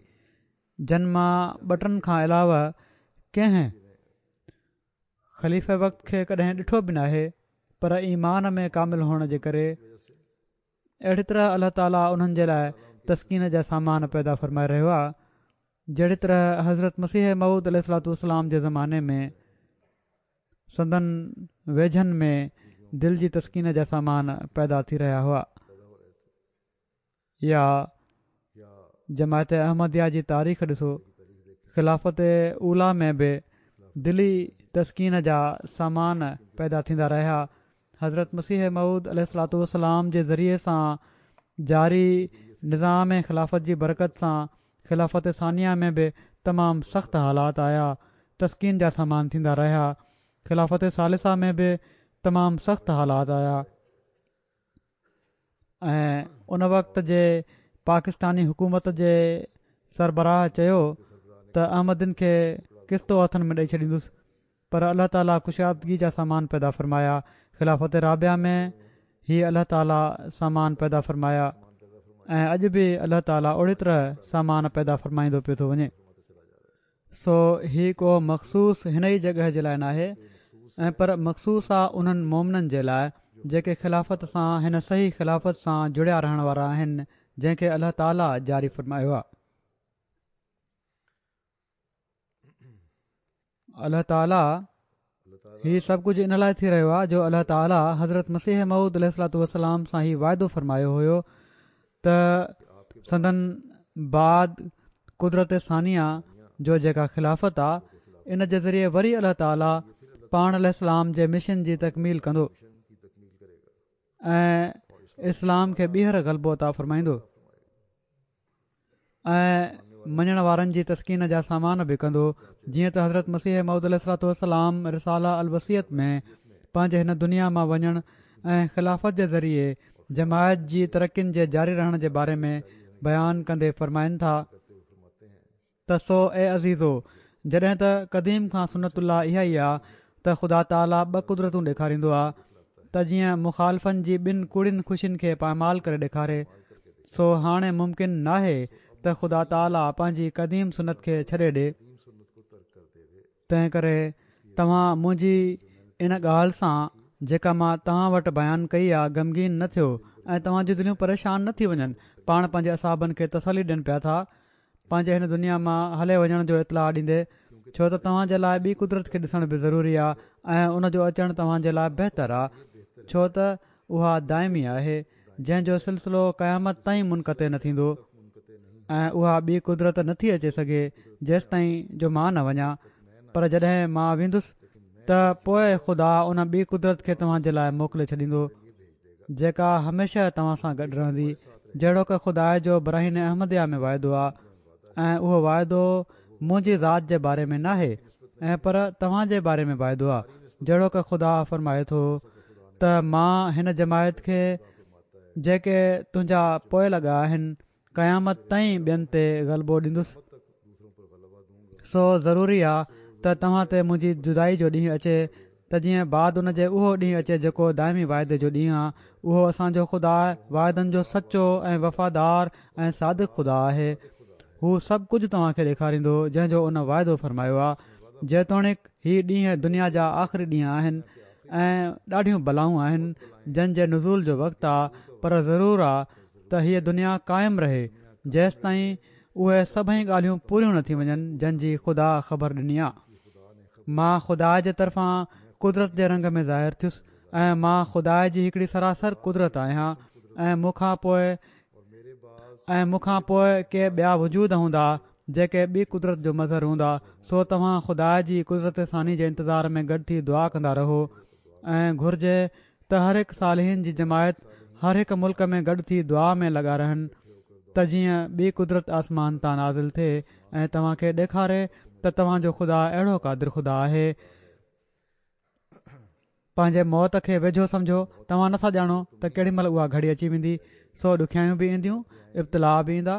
Speaker 2: جن مان ٻه ٽن کان علاوه ڪنهن خليفه وقت کي ڪڏهن ڏٺو به ناهي پر ايمان ۾ ڪامل هئڻ جي ڪري اهڙي طرح الله تعالي انهن جي لاء تسڪين جا سامان پيدا فرمائي رهيو آهي جهڙي طرح حضرت مسيح موعود عليه الصلوة والسلام جي زماني ۾ سندن ويجهن ۾ دل جي تسڪين جا سامان پيدا ٿي رهيا هئا يا جماعت احمديه جي تاريخ ڏسو خلافت اوليٰ ۾ به دلي تسڪين جا سامان پيدا ٿيندا رهيا حضرت مسيح موعود عليه الصلوة والسلام جي ذريعي سان جاري نظام خلافت جي برڪت سان خلافت ثانيه ۾ به تمام سخت حالات آيا، تسڪين جا سامان ٿيندا رهيا، خلافت ثالثه ۾ به تمام سخت حالات آيا ۽ ان وقت جي پاڪستاني حڪومت جي سربراهه چيو ته احمدين کي ڪستو هٿن ۾ ڏئي ڇڏيندس پر الله تعالي ڪشادگي جا سامان پيدا فرمايا، خلافت رابعه ۾ هي الله تعالي سامان پيدا فرمايا ۽ اڄ به الله تعالي اهڙي طرح سامان پيدا فرمائيندو پيو ٿو وڃي. سو هي ڪو مخصوص هن ئي جڳهه جي لاء ناهي ۽ پر مخصوص آ انهن مومنن جي لاء جيڪي خلافت سان هن صحيح خلافت سان جڙيا رهڻ وارا آهن جنهن کي الله تعالي جاري فرمايو آ. الله تعاليٰ هي سڀ ڪجهه ان لاء ٿي رهيو آهي جو الله تعاليٰ حضرت مسيح موعود عليه الصلوة والسلام سان هي واعدو فرمايو هيو ته سندن بعد قدرت ثانيه جو جيڪا خلافت آ ان جي ذريعي وري الله تعاليٰ پاڻ عليه السلام جي مشن جي تڪميل ڪندو ۽ اسلام کي ٻيهر غلبو عطا فرمائيندو ۽ مڃڻ وارن جي تسڪين جا سامان به ڪندو جيئن ته حضرت مسيح موعود عليه الصلوة والسلام رساله الوصيت ۾ پنهنجي هن دنيا مان وڃڻ ۽ خلافت جي ذريعي جماعت جي ترقين جي جاري رهڻ جي باري ۾ بيان ڪندي فرمائن ٿا ته سو اي عزيزو! جڏهن ته قديم کان سنت الله اها ئي آ ته خدا تعاليٰ ٻه قدرتون ڏيکاريندو آ ته جيئن مخالفن جي ٻن ڪوڙين خوشين کي پائمال ڪري ڏيکاري، سو هاڻي ممڪن ناهي ته خدا تعاليٰ پنهنجي قديم سنت کي ڇڏي ڏي. تنهن ڪري توهان منهنجي ان ڳالهه سان جيڪا مان توهان وٽ بيان ڪئي آ غمگين نه ٿيو ۽ توهان جون دليون پريشان نه ٿي وڃن. پاڻ پنهنجي اصحابن کي تسلي ڏين پيا ٿا پنهنجي هن دنيا مان هلي وڃڻ جو اطلاع ڏيندي ڇو ته توهان جي لاء ٻي قدرت کي ڏسڻ به ضروري آ ۽ ان جو اچڻ توهان جي لاء بهتر آ ڇو ته اها دائمي آهي جنهن جو سلسلو قيامت تائين منقطع نه ٿيندو ۽ اها ٻي قدرت نه ٿي اچي سگهي جيستائين جو مان نه وڃان پر جڏهن مان ويندس ته پوء خدا ان ٻي قدرت کي توهان جي لاء موڪلي ڇڏيندو جيڪا هميشه توهان سان گڏ رهندي جهڙوڪ خدا جو براهين احمديه ۾ واعدو آ ۽ اهو واعدو منهنجي ذات جي باري ۾ ناهي ۽ پر توهان جي باري ۾ واعدو آ جهڙوڪ خدا فرمائي ٿو ته مان هن جماعت کي جيڪي تنهنجا پوئلڳ آهن قيامت تائين ٻين تي غلبو ڏيندس. سو ضروري آ ته توهان تي منهنجي جدائي جو ڏينهن اچي ته جيئن بعد ان جي اهو ڏينهن اچي جيڪو دائمي واعدي جو ڏينهن آ. اهو اسان جو خدا واعدن جو سچو ۽ وفادار ۽ صادق خدا آهي. هو سڀ ڪجهه توهان کي ڏيکاريندو جنهن جو ان واعدو فرمايو آ. جيتوڻيڪ هي ڏينهن دنيا جا آخري ڏينهن آهن ۽ ڏاڍيون بلائون آهن جن جي نزول جو وقت آ پر ضرور آ ته هيء دنيا قائم رهي جيستائين اهي سڀئي ڳالهيون پوريون نه ٿي وڃن جن جي خدا خبر ڏني آ. مان خدا جي طرفان قدرت جي رنگ ۾ ظاهر ٿيس ۽ مان خدا جي هڪڙي سراسر قدرت آهيان ۽ مون کان پوء ۽ مون کان پوء ڪي ٻيا وجود هوندا جيڪي ٻي قدرت جو مظهر هوندا سو توهان خدا جي قدرت ثاني جي انتظار ۾ گڏ ٿي دعا ڪندا رهو ۽ گهرجي ته هر هڪ صالحين جي جماعت هر هڪ ملڪ ۾ گڏ ٿي دعا ۾ لڳا رهن ته جيئن ٻي قدرت آسمان تان نازل ٿئي ۽ توهان کي ڏيکاري ته توهان جو خدا اهڙو قادر خدا آهي. پنهنجي موت کي ويجهو سمجهو، توهان نٿا ڄاڻو ته ڪهڙي مهل اها گهڙي اچي ويندي، سو ڏکيائيون به اينديون، ابتلاء به ايندا،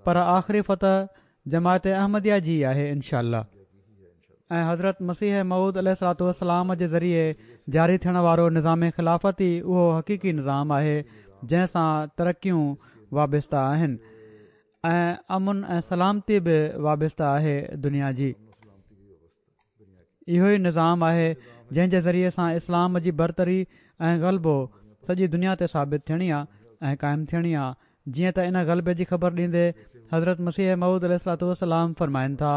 Speaker 2: پر آخري فتح جماعت احمديه جي ئي آهي انشاء الله ۽ حضرت مسيح موعود عليه الصلوة والسلام جي ذريعي جاري ٿيڻ وارو نظام خلافت ئي اهو حقيقي نظام آهي جنهن سان ترقيون وابسته آهن ۽ امن ۽ سلامتي به وابسته آهي دنيا جي. اهو ئي نظام آهي جنهن جي ذريعي سان اسلام جي برتري ۽ غلبو سڄي دنيا تي ثابت ٿيڻي آ ۽ قائم ٿيڻي آ جيئن ته ان غلبي جي خبر ڏيندي حضرت مسيح موعود عليه الصلوة والسلام فرمائن ٿا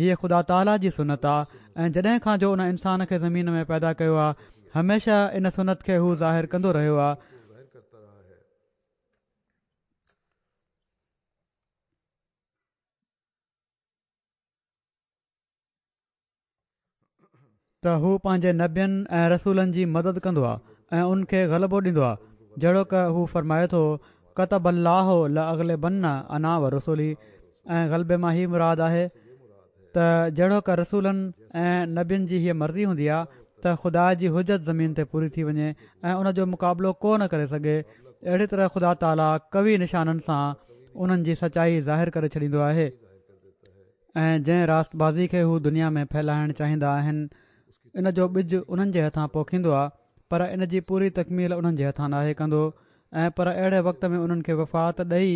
Speaker 2: هيء خدا تعاليٰ جي سنت آ ۽ جڏهن کان جو ان انسان کي زمين ۾ پيدا ڪيو آ هميشه ان سنت کي هو ظاهر ڪندو رهيو آ. ته هو پنهنجي نبين ۽ رسولن جي مدد ڪندو آهي ۽ ان کي غلبو ڏيندو آهي جهڙوڪ هو فرمائي ٿو ڪتب الله لاغلبن انا ورسلي ۽ غلبي مان هي مراد آهي ته جهڙوڪ رسولن ۽ نبين جي هيء مرضي هوندي آهي ته خدا جي حجت زمين تي پوري ٿي وڃي ۽ ان جو مقابلو ڪو نه ڪري سگهي اهڙي طرح خدا تعاليٰ قوي نشانن سان انهن جي سچائي ظاهر ڪري ڇڏيندو آهي. ۽ جنهن راست بازي کي هو دنيا ۾ ڦهلائڻ چاهيندا آهن ان جو ٻج انهن جي هٿان پوکيندو آ پر ان جي پوري تڪميل انهن جي هٿان ناهي ڪندو ۽ پر اهڙي وقت ۾ انهن کي وفات ڏئي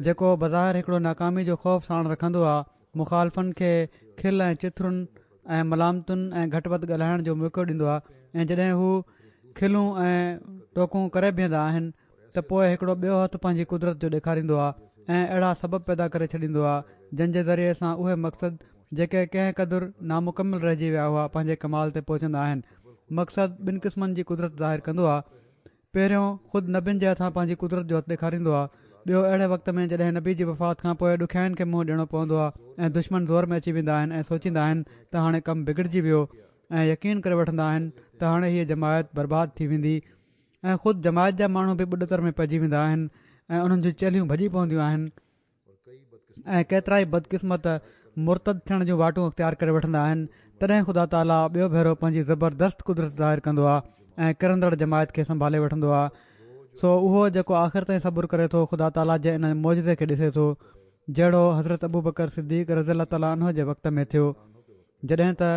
Speaker 2: جيڪو بظاهر هڪڙو ناڪامي جو خوف ساڻ رکندو آ مخالفن کي کل ۽ چٿرن ۽ ملامتن ۽ گهٽ وڌ ڳالهائڻ جو موقعو ڏيندو آ ۽ جڏهن هو کلون ۽ ٽوڪون ڪري بيهندا آهن ته پوء هڪڙو ٻيو هٿ پنهنجي قدرت جو ڏيکاريندو آهي ۽ اهڙا سبب پيدا ڪري ڇڏيندو آهي جن جي ذريعي سان اهي مقصد جيڪي ڪنهن قدر نامڪمل رهجي ويا هئا پنهنجي ڪمال تي پهچندا آهن. مقصد ٻن قسمن جي قدرت ظاهر ڪندو آهي. پهريون خود نبين جي هٿان پنهنجي قدرت جو هٿ ڏيکاريندو آهي. ٻيو اهڙي وقت ۾ جڏهن نبي جي وفات کان پوء ڏکيائين کي منهن ڏيڻو پوندو آهي ۽ دشمن زور ۾ اچي ويندا آهن ۽ سوچيندا آهن ته هاڻي ڪم بگڙجي ويو ۽ يقين ڪري وٺندا آهن ته هاڻي هيء جماعت برباد ٿي ويندي ۽ خود جماعت جا ماڻهو به ٻڏتر ۾ پئجي ويندا آهن ۽ انهن جون چيلهيون ڀڄي پونديون آهن ۽ ڪيترائي بدقسمت مرتد ٿيڻ جون واٽون اختيار ڪري وٺندا آهن تڏهن خدا تعاليٰ ٻيو ڀيرو پنهنجي زبردست قدرت ظاهر ڪندو آهي ۽ ڪرندڙ جماعت کي سنڀالي وٺندو آهي سو اهو جيڪو آخر تائين صبر ڪري ٿو خدا تعاليٰ جي ان معجزي کي ڏسي ٿو جهڙو حضرت ابوبڪر صديق رضي الله تعاليٰ عنه جي وقت ۾ ٿيو جڏهن ته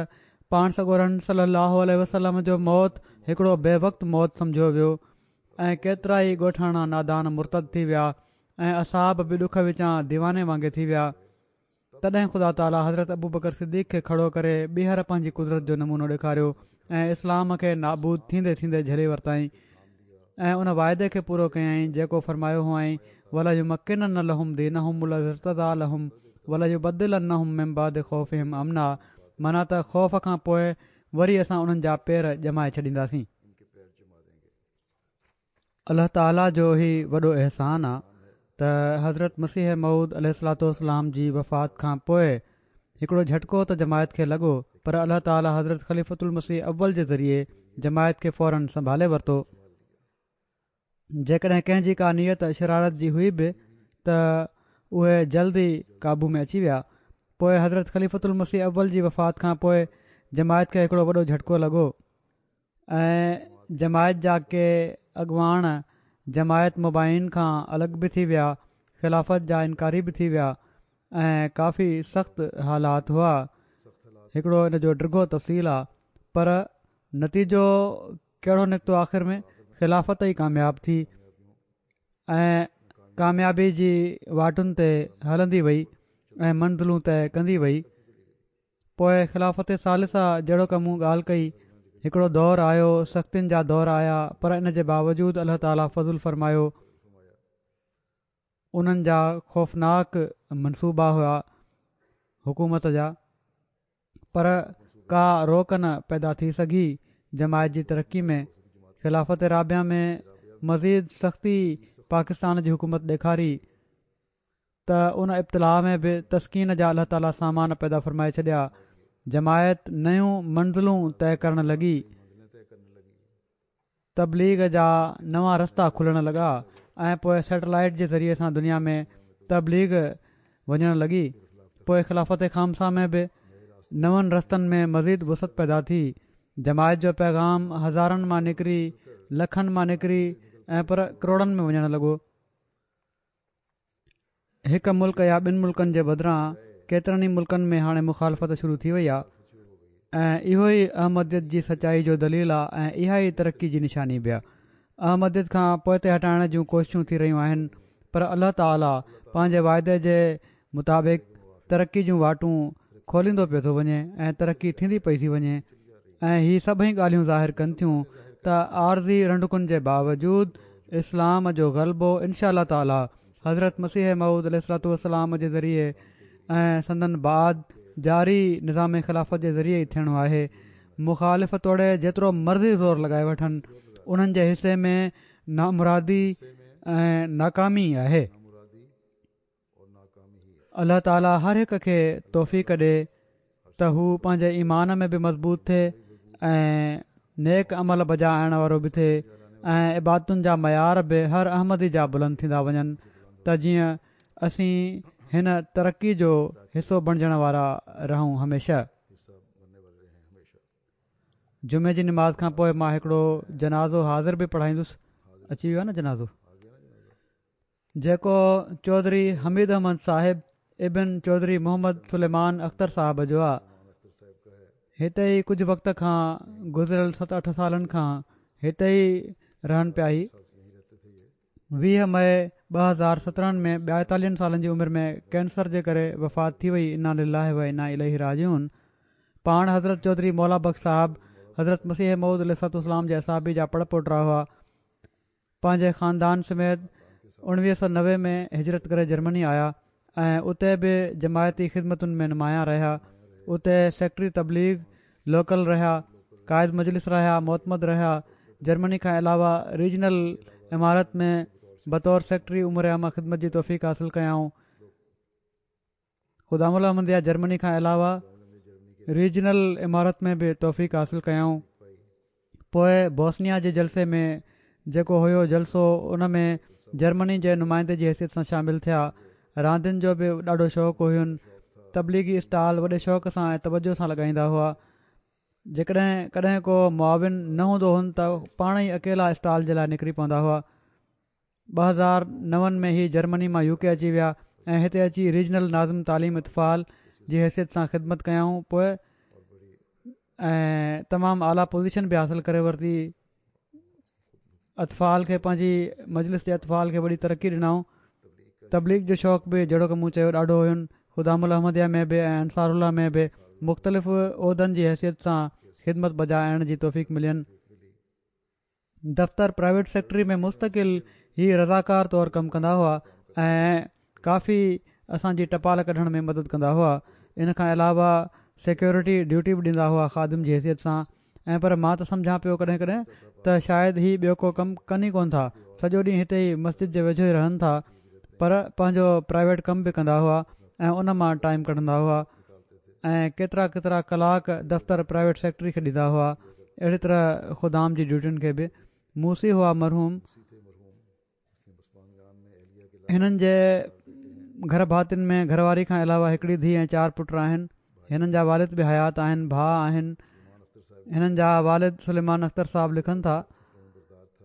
Speaker 2: پاڻ سڳورن صلّي اللّٰه عليه وسلّم جو موت هڪڙو بي وقت موت سمجهيو ويو ۽ ڪيترائي ڳوٺاڻا نادان مرتد ٿي ويا ۽ اصحاب به ڏک وچان ديواني وانگي ٿي ويا تڏهن خدا تعاليٰ حضرت ابوبڪر صديق کي کڙو ڪري ٻيهر پنهنجي قدرت جو نمونو ڏيکاريو ۽ اسلام کي نابود ٿيندي ٿيندي جهلي ورتائين ۽ ان واعدي کي پورو ڪيائين جيڪو فرمايو هئائين وليمڪنن لهم دينهم الذي ارتضيٰ لهم وليبدلنهم من بعد خوفهم امنا معنيٰ ته خوف کان پوء وري اسان انهن جا پير ڄمائي ڇڏينداسين. الله تعاليٰ جو هي وڏو احسان آ ته حضرت مسيح موعود عليه الصلوة والسلام جي وفات کان پوء هڪڙو جهٽڪو ته جماعت کي لڳو پر الله تعاليٰ حضرت خليفة المسيح اول جي ذريعي جماعت کي فوراً سنڀالي ورتو. جيڪڏهن ڪنهن جي ڪا نيت شرارت جي هئي به ته اهي جلد ئي قابو ۾ اچي ويا. پوء حضرت خليفة المسيح اول جي وفات کان پوء جماعت کي هڪڙو وڏو جهٽڪو لڳو ۽ جماعت جا ڪي اڳواڻ جماعت مبايعين کان الڳ به ٿي ويا، خلافت جا انڪاري به ٿي ويا ۽ ڪافي سخت حالات هئا. هڪڙو ان جو ڊگهو تفصيل آ پر نتيجو ڪهڙو نڪتو آخر ۾ خلافت ئي ڪامياب ٿي ۽ ڪاميابي جي واٽن تي هلندي وئي ۽ منزلون طئي ڪندي وئي پوء خلافت ثالثه جهڙوڪ مون ڳالهه ڪئي هڪڙو دور آيو سختين جا دور آيا پر ان جي باوجود الله تعالي فضل فرمايو انهن جا خوفناڪ منصوبا هئا حڪومت جا پر ڪا روڪ نه پيدا ٿي سگهي جماعت جي ترقي ۾ خلافت رابعه ۾ مزيد سختي پاڪستان جي حڪومت ڏيکاري ته ان ابتلاء ۾ به تسڪين جا الله تعالي سامان پيدا فرمائي ڇڏيا جماعت نيون منزلون طئي ڪرڻ لڳي. تبليغ جا نوان رستا کلڻ لڳا ۽ پوء سيٽلائيٽ جي ذريعي سان دنيا ۾ تبليغ وڃڻ لڳي پوء خلافت خامسه ۾ به نون رستن ۾ مزيد وسعت پيدا ٿي جماعت جو پيغام هزارن مان نڪري لکن مان نڪري ۽ پر ڪروڙن ۾ وڃڻ لڳو. هڪ ملڪ يا ٻن ملڪن جي بدران ڪيترن ئي ملڪن ۾ هاڻي مخالفت شروع ٿي وئي آهي ۽ اهو ئي احمديت جي سچائي جو دليل آهي ۽ اها ئي ترقي جي نشاني به آهي. احمديت کان پوئتي هٽائڻ جون ڪوششون ٿي رهيون آهن پر الله تعالي پنهنجي واعدي جي مطابق ترقي جون واٽون کوليندو پيو ٿو وڃي ۽ ترقي ٿيندي پئي ٿي وڃي ۽ هي سڀئي ڳالهيون ظاهر ڪن ٿيون ته عارضي رنڊڪن جي باوجود اسلام جو غلبو انشاء الله تعالي حضرت مسيح موعود عليه الصلوة والسلام جي ذريعي ۽ سندن بعد جاري نظام خلافت جي ذريعي ئي ٿيڻو آهي مخالف توڙي جيترو مرضي زور لڳائي وٺن انهن جي حصي ۾ نامرادي ۽ ناڪامي آهي. الله تعالي هر هڪ کي توفيق ڏي ته هو پنهنجي ايمان ۾ به مضبوط ٿئي ۽ نيڪ عمل بجا آڻڻ وارو به ٿئي ۽ عبادتن جا معيار به هر احمدي جا بلند ٿيندا وڃن ته جيئن اسين هن ترقي جو حصو بڻجڻ وارا رهون هميشه. جمعي جي نماز کان پوء مان هڪڙو جنازو حاضر به پڙهائيندس اچي ويو آهي نه جنازو. جيڪو چوڌري حميد احمد صاحب ابن چوڌري محمد سليمان اختر صاحب جو آ. هتي ئي ڪجهه وقت کان گذريل ست اٺ سالن کان هتي ئي رهن پيا هي 20 مئي 2017 ۾ 42 سالن جي عمر ۾ ڪينسر جي ڪري وفات ٿي وئي انا لله و انا اليه راجعون پاڻ حضرت چوڌري مولا بخش صاحب حضرت مسيح موعود عليه الصلوة والسلام جي اصحابي جا پڙ پوٽا هئا پنهنجي خاندان سميت 1990 ۾ هجرت ڪري جرمني آيا ۽ اتي به جماعتي خدمتن ۾ نمايان رهيا. اتي سيڪريٽري تبليغ لوڪل رهيا، قائد مجلس رهيا، معتمد رهيا. جرمني کان علاوه ريجنل امارت ۾ بطور سيڪريٽري امور عامه خدمت جي توفيق حاصل ڪيائون. خدام الاحمديه جرمني کان علاوه ريجنل امارت ۾ به توفيق حاصل ڪيائون. پوء بوسنيا جي جلسي ۾ جيڪو هيو جلسو ان ۾ جرمني جي نمائندي جي حيثيت سان شامل ٿيا. راندين جو به ڏاڍو شوق هين. تبليغي اسٽال وڏي شوق سان ۽ توجه سان لڳائيندا هئا. جيڪڏهن ڪڏهن ڪو معاون نه هوندو هن ته پاڻ ئي اڪيلا اسٽال جي لاء نڪري پوندا هئا. 2009 ۾ هي جرمني مان يوڪي اچي ويا ۽ هتي اچي ريجنل ناظم تعليم اطفال جي حيثيت سان خدمت ڪيائون پوء ۽ تمام اعليٰ پوزيشن به حاصل ڪري ورتي اطفال کي پنهنجي مجلس جي اطفال کي وڏي ترقي ڏنائون تبليغ جو شوق به جهڙوڪ مون چيو ڏاڍو هين خدام الاحمديه ۾ به ۽ انصار الله ۾ به مختلف عهدن جي حيثيت سان خدمت بجا آڻڻ جي توفيق ملين دفتر پرائيويٽ سيڪٽري ۾ مستقل هي رضاڪار طور ڪم ڪندا هئا ۽ ڪافي اسان جي ٽپال ڪڍڻ ۾ مدد ڪندا هئا ان کان علاوه سيڪيورٽي ڊيوٽي به ڏيندا هئا خادم جي حيثيت سان ۽ پر مان ته سمجهان پيو ڪڏهن ڪڏهن ته شايد هي ٻيو ڪو ڪم ڪن ئي ڪونه ٿا سڄو ڏينهن هتي ئي مسجد جي ويجهو ئي رهن ٿا پر پنهنجو پرائيويٽ ڪم به ڪندا هئا ۽ ان مان ٽائيم ڪڍندا هئا ۽ ڪيترا ڪيترا ڪلاڪ دفتر پرائيويٽ سيڪريٽري کي ڏيندا هئا اهڙي طرح خدام جي ڊيوٽين کي به موصي هئا مرحوم هنن جي گهر ڀاتين ۾ گهر واري کان علاوه هڪڙي ڌيء ۽ چار پٽ آهن. هنن جا والد به حيات آهن، ڀاء آهن. هنن جا والد سليمان اختر صاحب لکن ٿا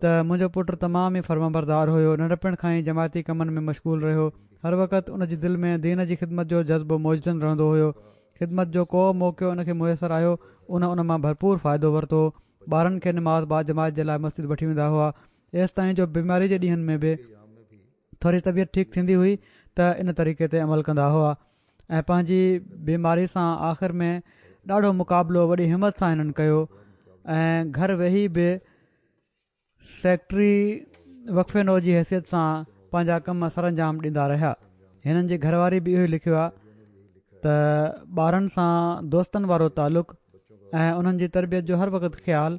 Speaker 2: ته منهنجو پٽ تمام ئي فرمانبردار هيو، ننڍپڻ کان ئي جماعتي ڪمن ۾ مشغول رهيو. هر وقت ان جي دل ۾ دين جي خدمت جو جذبو موجزن رهندو هيو. خدمت جو ڪو موقعو ان کي ميسر آيو ان ان مان ڀرپور فائدو ورتو. ٻارن کي نماز باجماعت جي لاء مسجد وٺي ويندا هئا. ايستائين جو بيماري جي ڏينهن ۾ به ٿوري طبيعت ٺيڪ ٿيندي هئي ته ان طريقي تي عمل ڪندا هئا ۽ پنهنجي بيماري سان آخر ۾ ڏاڍو مقابلو وڏي همت سان هنن ڪيو ۽ گهر ويهي به سيڪريٽري وقف نو جي حيثيت سان پنهنجا ڪم سرانجام ڏيندا رهيا. هنن جي گهر واري به اهو ئي لکيو آهي ته ٻارن سان دوستن وارو تعلق ۽ انهن جي تربيت جو هر وقت خيال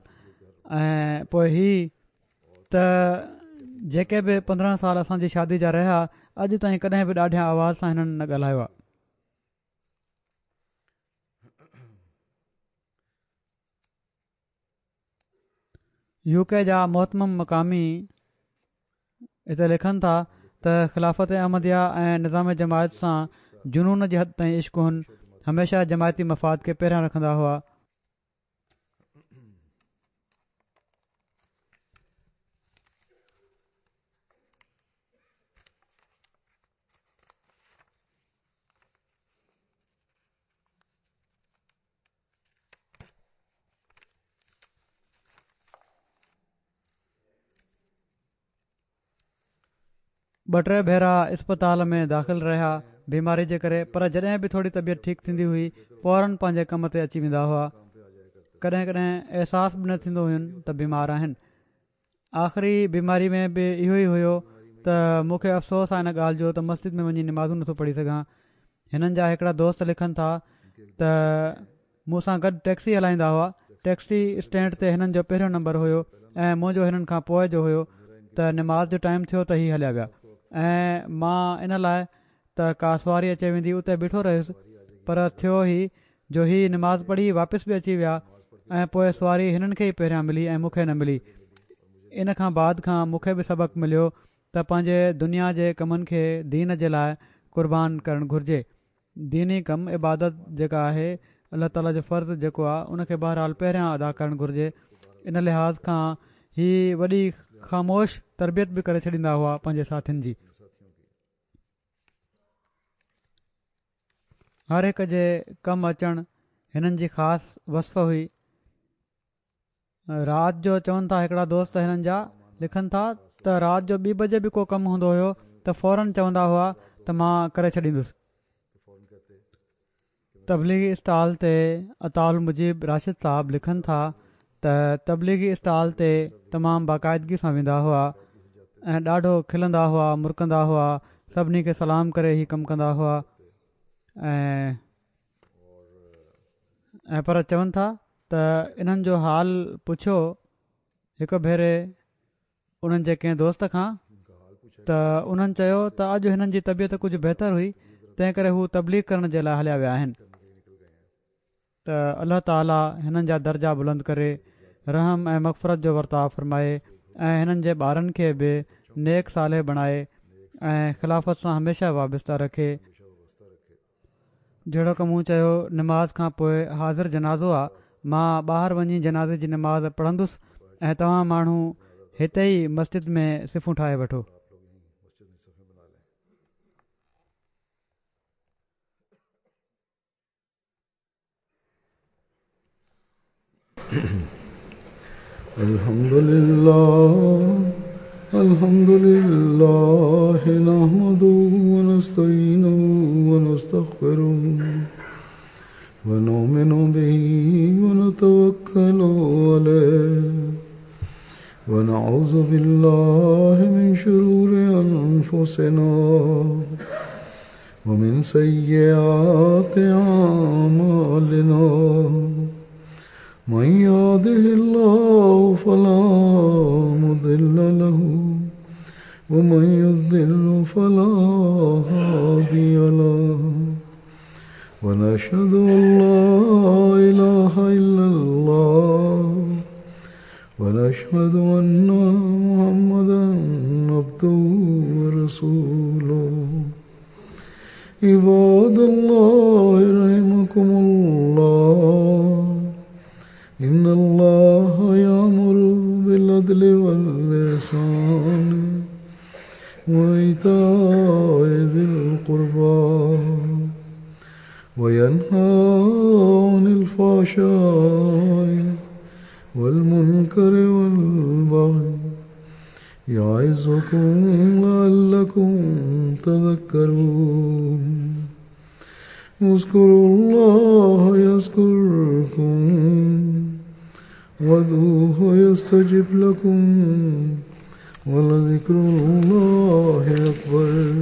Speaker 2: ۽ پوء هي ته جيڪي به 15 سال اسان جي شادي جا رهيا اڄ تائين ڪڏهن به ڏاڍيان آواز سان هنن نه ڳالهايو آهي. يو ڪي جا مهتمم مقامي هتي لکن ٿا ته خلافت احمديه ۽ نظام جماعت سان جنون جي حد تائين عشق هن هميشه جماعتي مفاد کي پهريان رکندا هئا. ٻه ٽي ڀيرا اسپتال ۾ داخل رهيا بيماري جي ڪري پر جڏهن به ٿوري طبيعت ٺيڪ ٿيندي هئي فورن پنهنجي ڪم تي اچي ويندا هئا ڪڏهن ڪڏهن احساس به نه ٿيندو هين ته بيمار آهن آخري بيماري ۾ به اهو ئي هيو ته مون کي افسوس آهي ان ڳالهه جو ته مسجد ۾ وڃي نمازون نٿو پڙهي سگهان هنن جا هڪڙا دوست لکن ٿا ته مون سان گڏ ٽيڪسي هلائيندا هئا. ٽيڪسي اسٽينڊ تي هنن جو پهريون نمبر هيو ۽ منهنجو هنن کان پوء جو هيو ته نماز جو ٽائيم ٿيو ته هي هليا ويا ۽ مان ان لاء ته ڪا سواري اچي ويندي اتي بيٺو رهيس پر ٿيو هي جو هي نماز پڙهي واپس به اچي ويا ۽ پوء سواري هنن کي ئي پهريان ملي ۽ مون کي نه ملي ان کان بعد کان مون کي به سبق مليو ته پنهنجي دنيا جي ڪمن کي دين جي لاء قربان ڪرڻ گهرجي. ديني ڪم، عبادت جيڪا آهي، الله تعاليٰ جو فرض جيڪو آهي، ان کي بهرحال پهريان ادا ڪرڻ گهرجي. ان لحاظ کان هي وڏي خاموش تربيت به ڪري ڇڏيندا هئا پنهنجي ساٿين جي. هر هڪ جي ڪم اچڻ هنن جي خاص وصف هئي. رات جو چون ٿا هڪڙا دوست هنن جا لکن ٿا ته رات جو ٻي بجي به ڪو ڪم هوندو هيو ته فورن چوندا هئا ته مان ڪري ڇڏيندس. تبليغي اسٽال تي عطاء المجيب راشد صاحب لکن ٿا ته تبليغي اسٽال تي تمام باقاعدگي سان ويندا هئا ۽ ڏاڍو کلندا هئا مرڪندا هئا سڀني کي سلام ڪري هي ڪم ڪندا هئا ۽ ۽ پر چون ٿا ته انهن جو حال پڇيو هڪ ڀيري انهن جي ڪنهن دوست کان ته انهن چيو ته اڄ هنن جي طبيعت ڪجهه بهتر هئي تنهن ڪري هو تبليغ ڪرڻ جي لاء هليا ويا آهن ته الله تعالي هنن جا درجا بلند ڪري رحم ۽ مغفرت جو ورتاء فرمائي ۽ هنن جي ٻارن کي به نيڪ صالح بڻائي ۽ خلافت سان هميشه وابسته رکي. جهڙوڪ مون چيو نماز کان پوء حاضر جنازو آ، مان ٻاهر وڃي جنازي جي نماز پڙهندس ۽ توهان ماڻهو هتي ئي مسجد ۾ صفون ٺاهي وٺو.
Speaker 1: الحمد لله الحمد لله نحمده ونستعينه ونستغفره ونؤمن به ونتوكل عليه ونعوذ بالله من شرور أنفسنا ومن سيئات أعمالنا من يهده الله فلا مضل له ومن يضلل فلا هادي له ونشهد أن لا إله إلا الله ونشهد أن محمدا عبده ورسوله. عباد الله رحمكم الله إن الله يأمر بالعدل والإحسان وإيتاء ذي القربى وينهى عن الفحشاء والمنكر والبغي يعظكم لعلكم تذكرون اذكروا الله يذكركم وادعوه يستجب لكم ولذكر الله أكبر.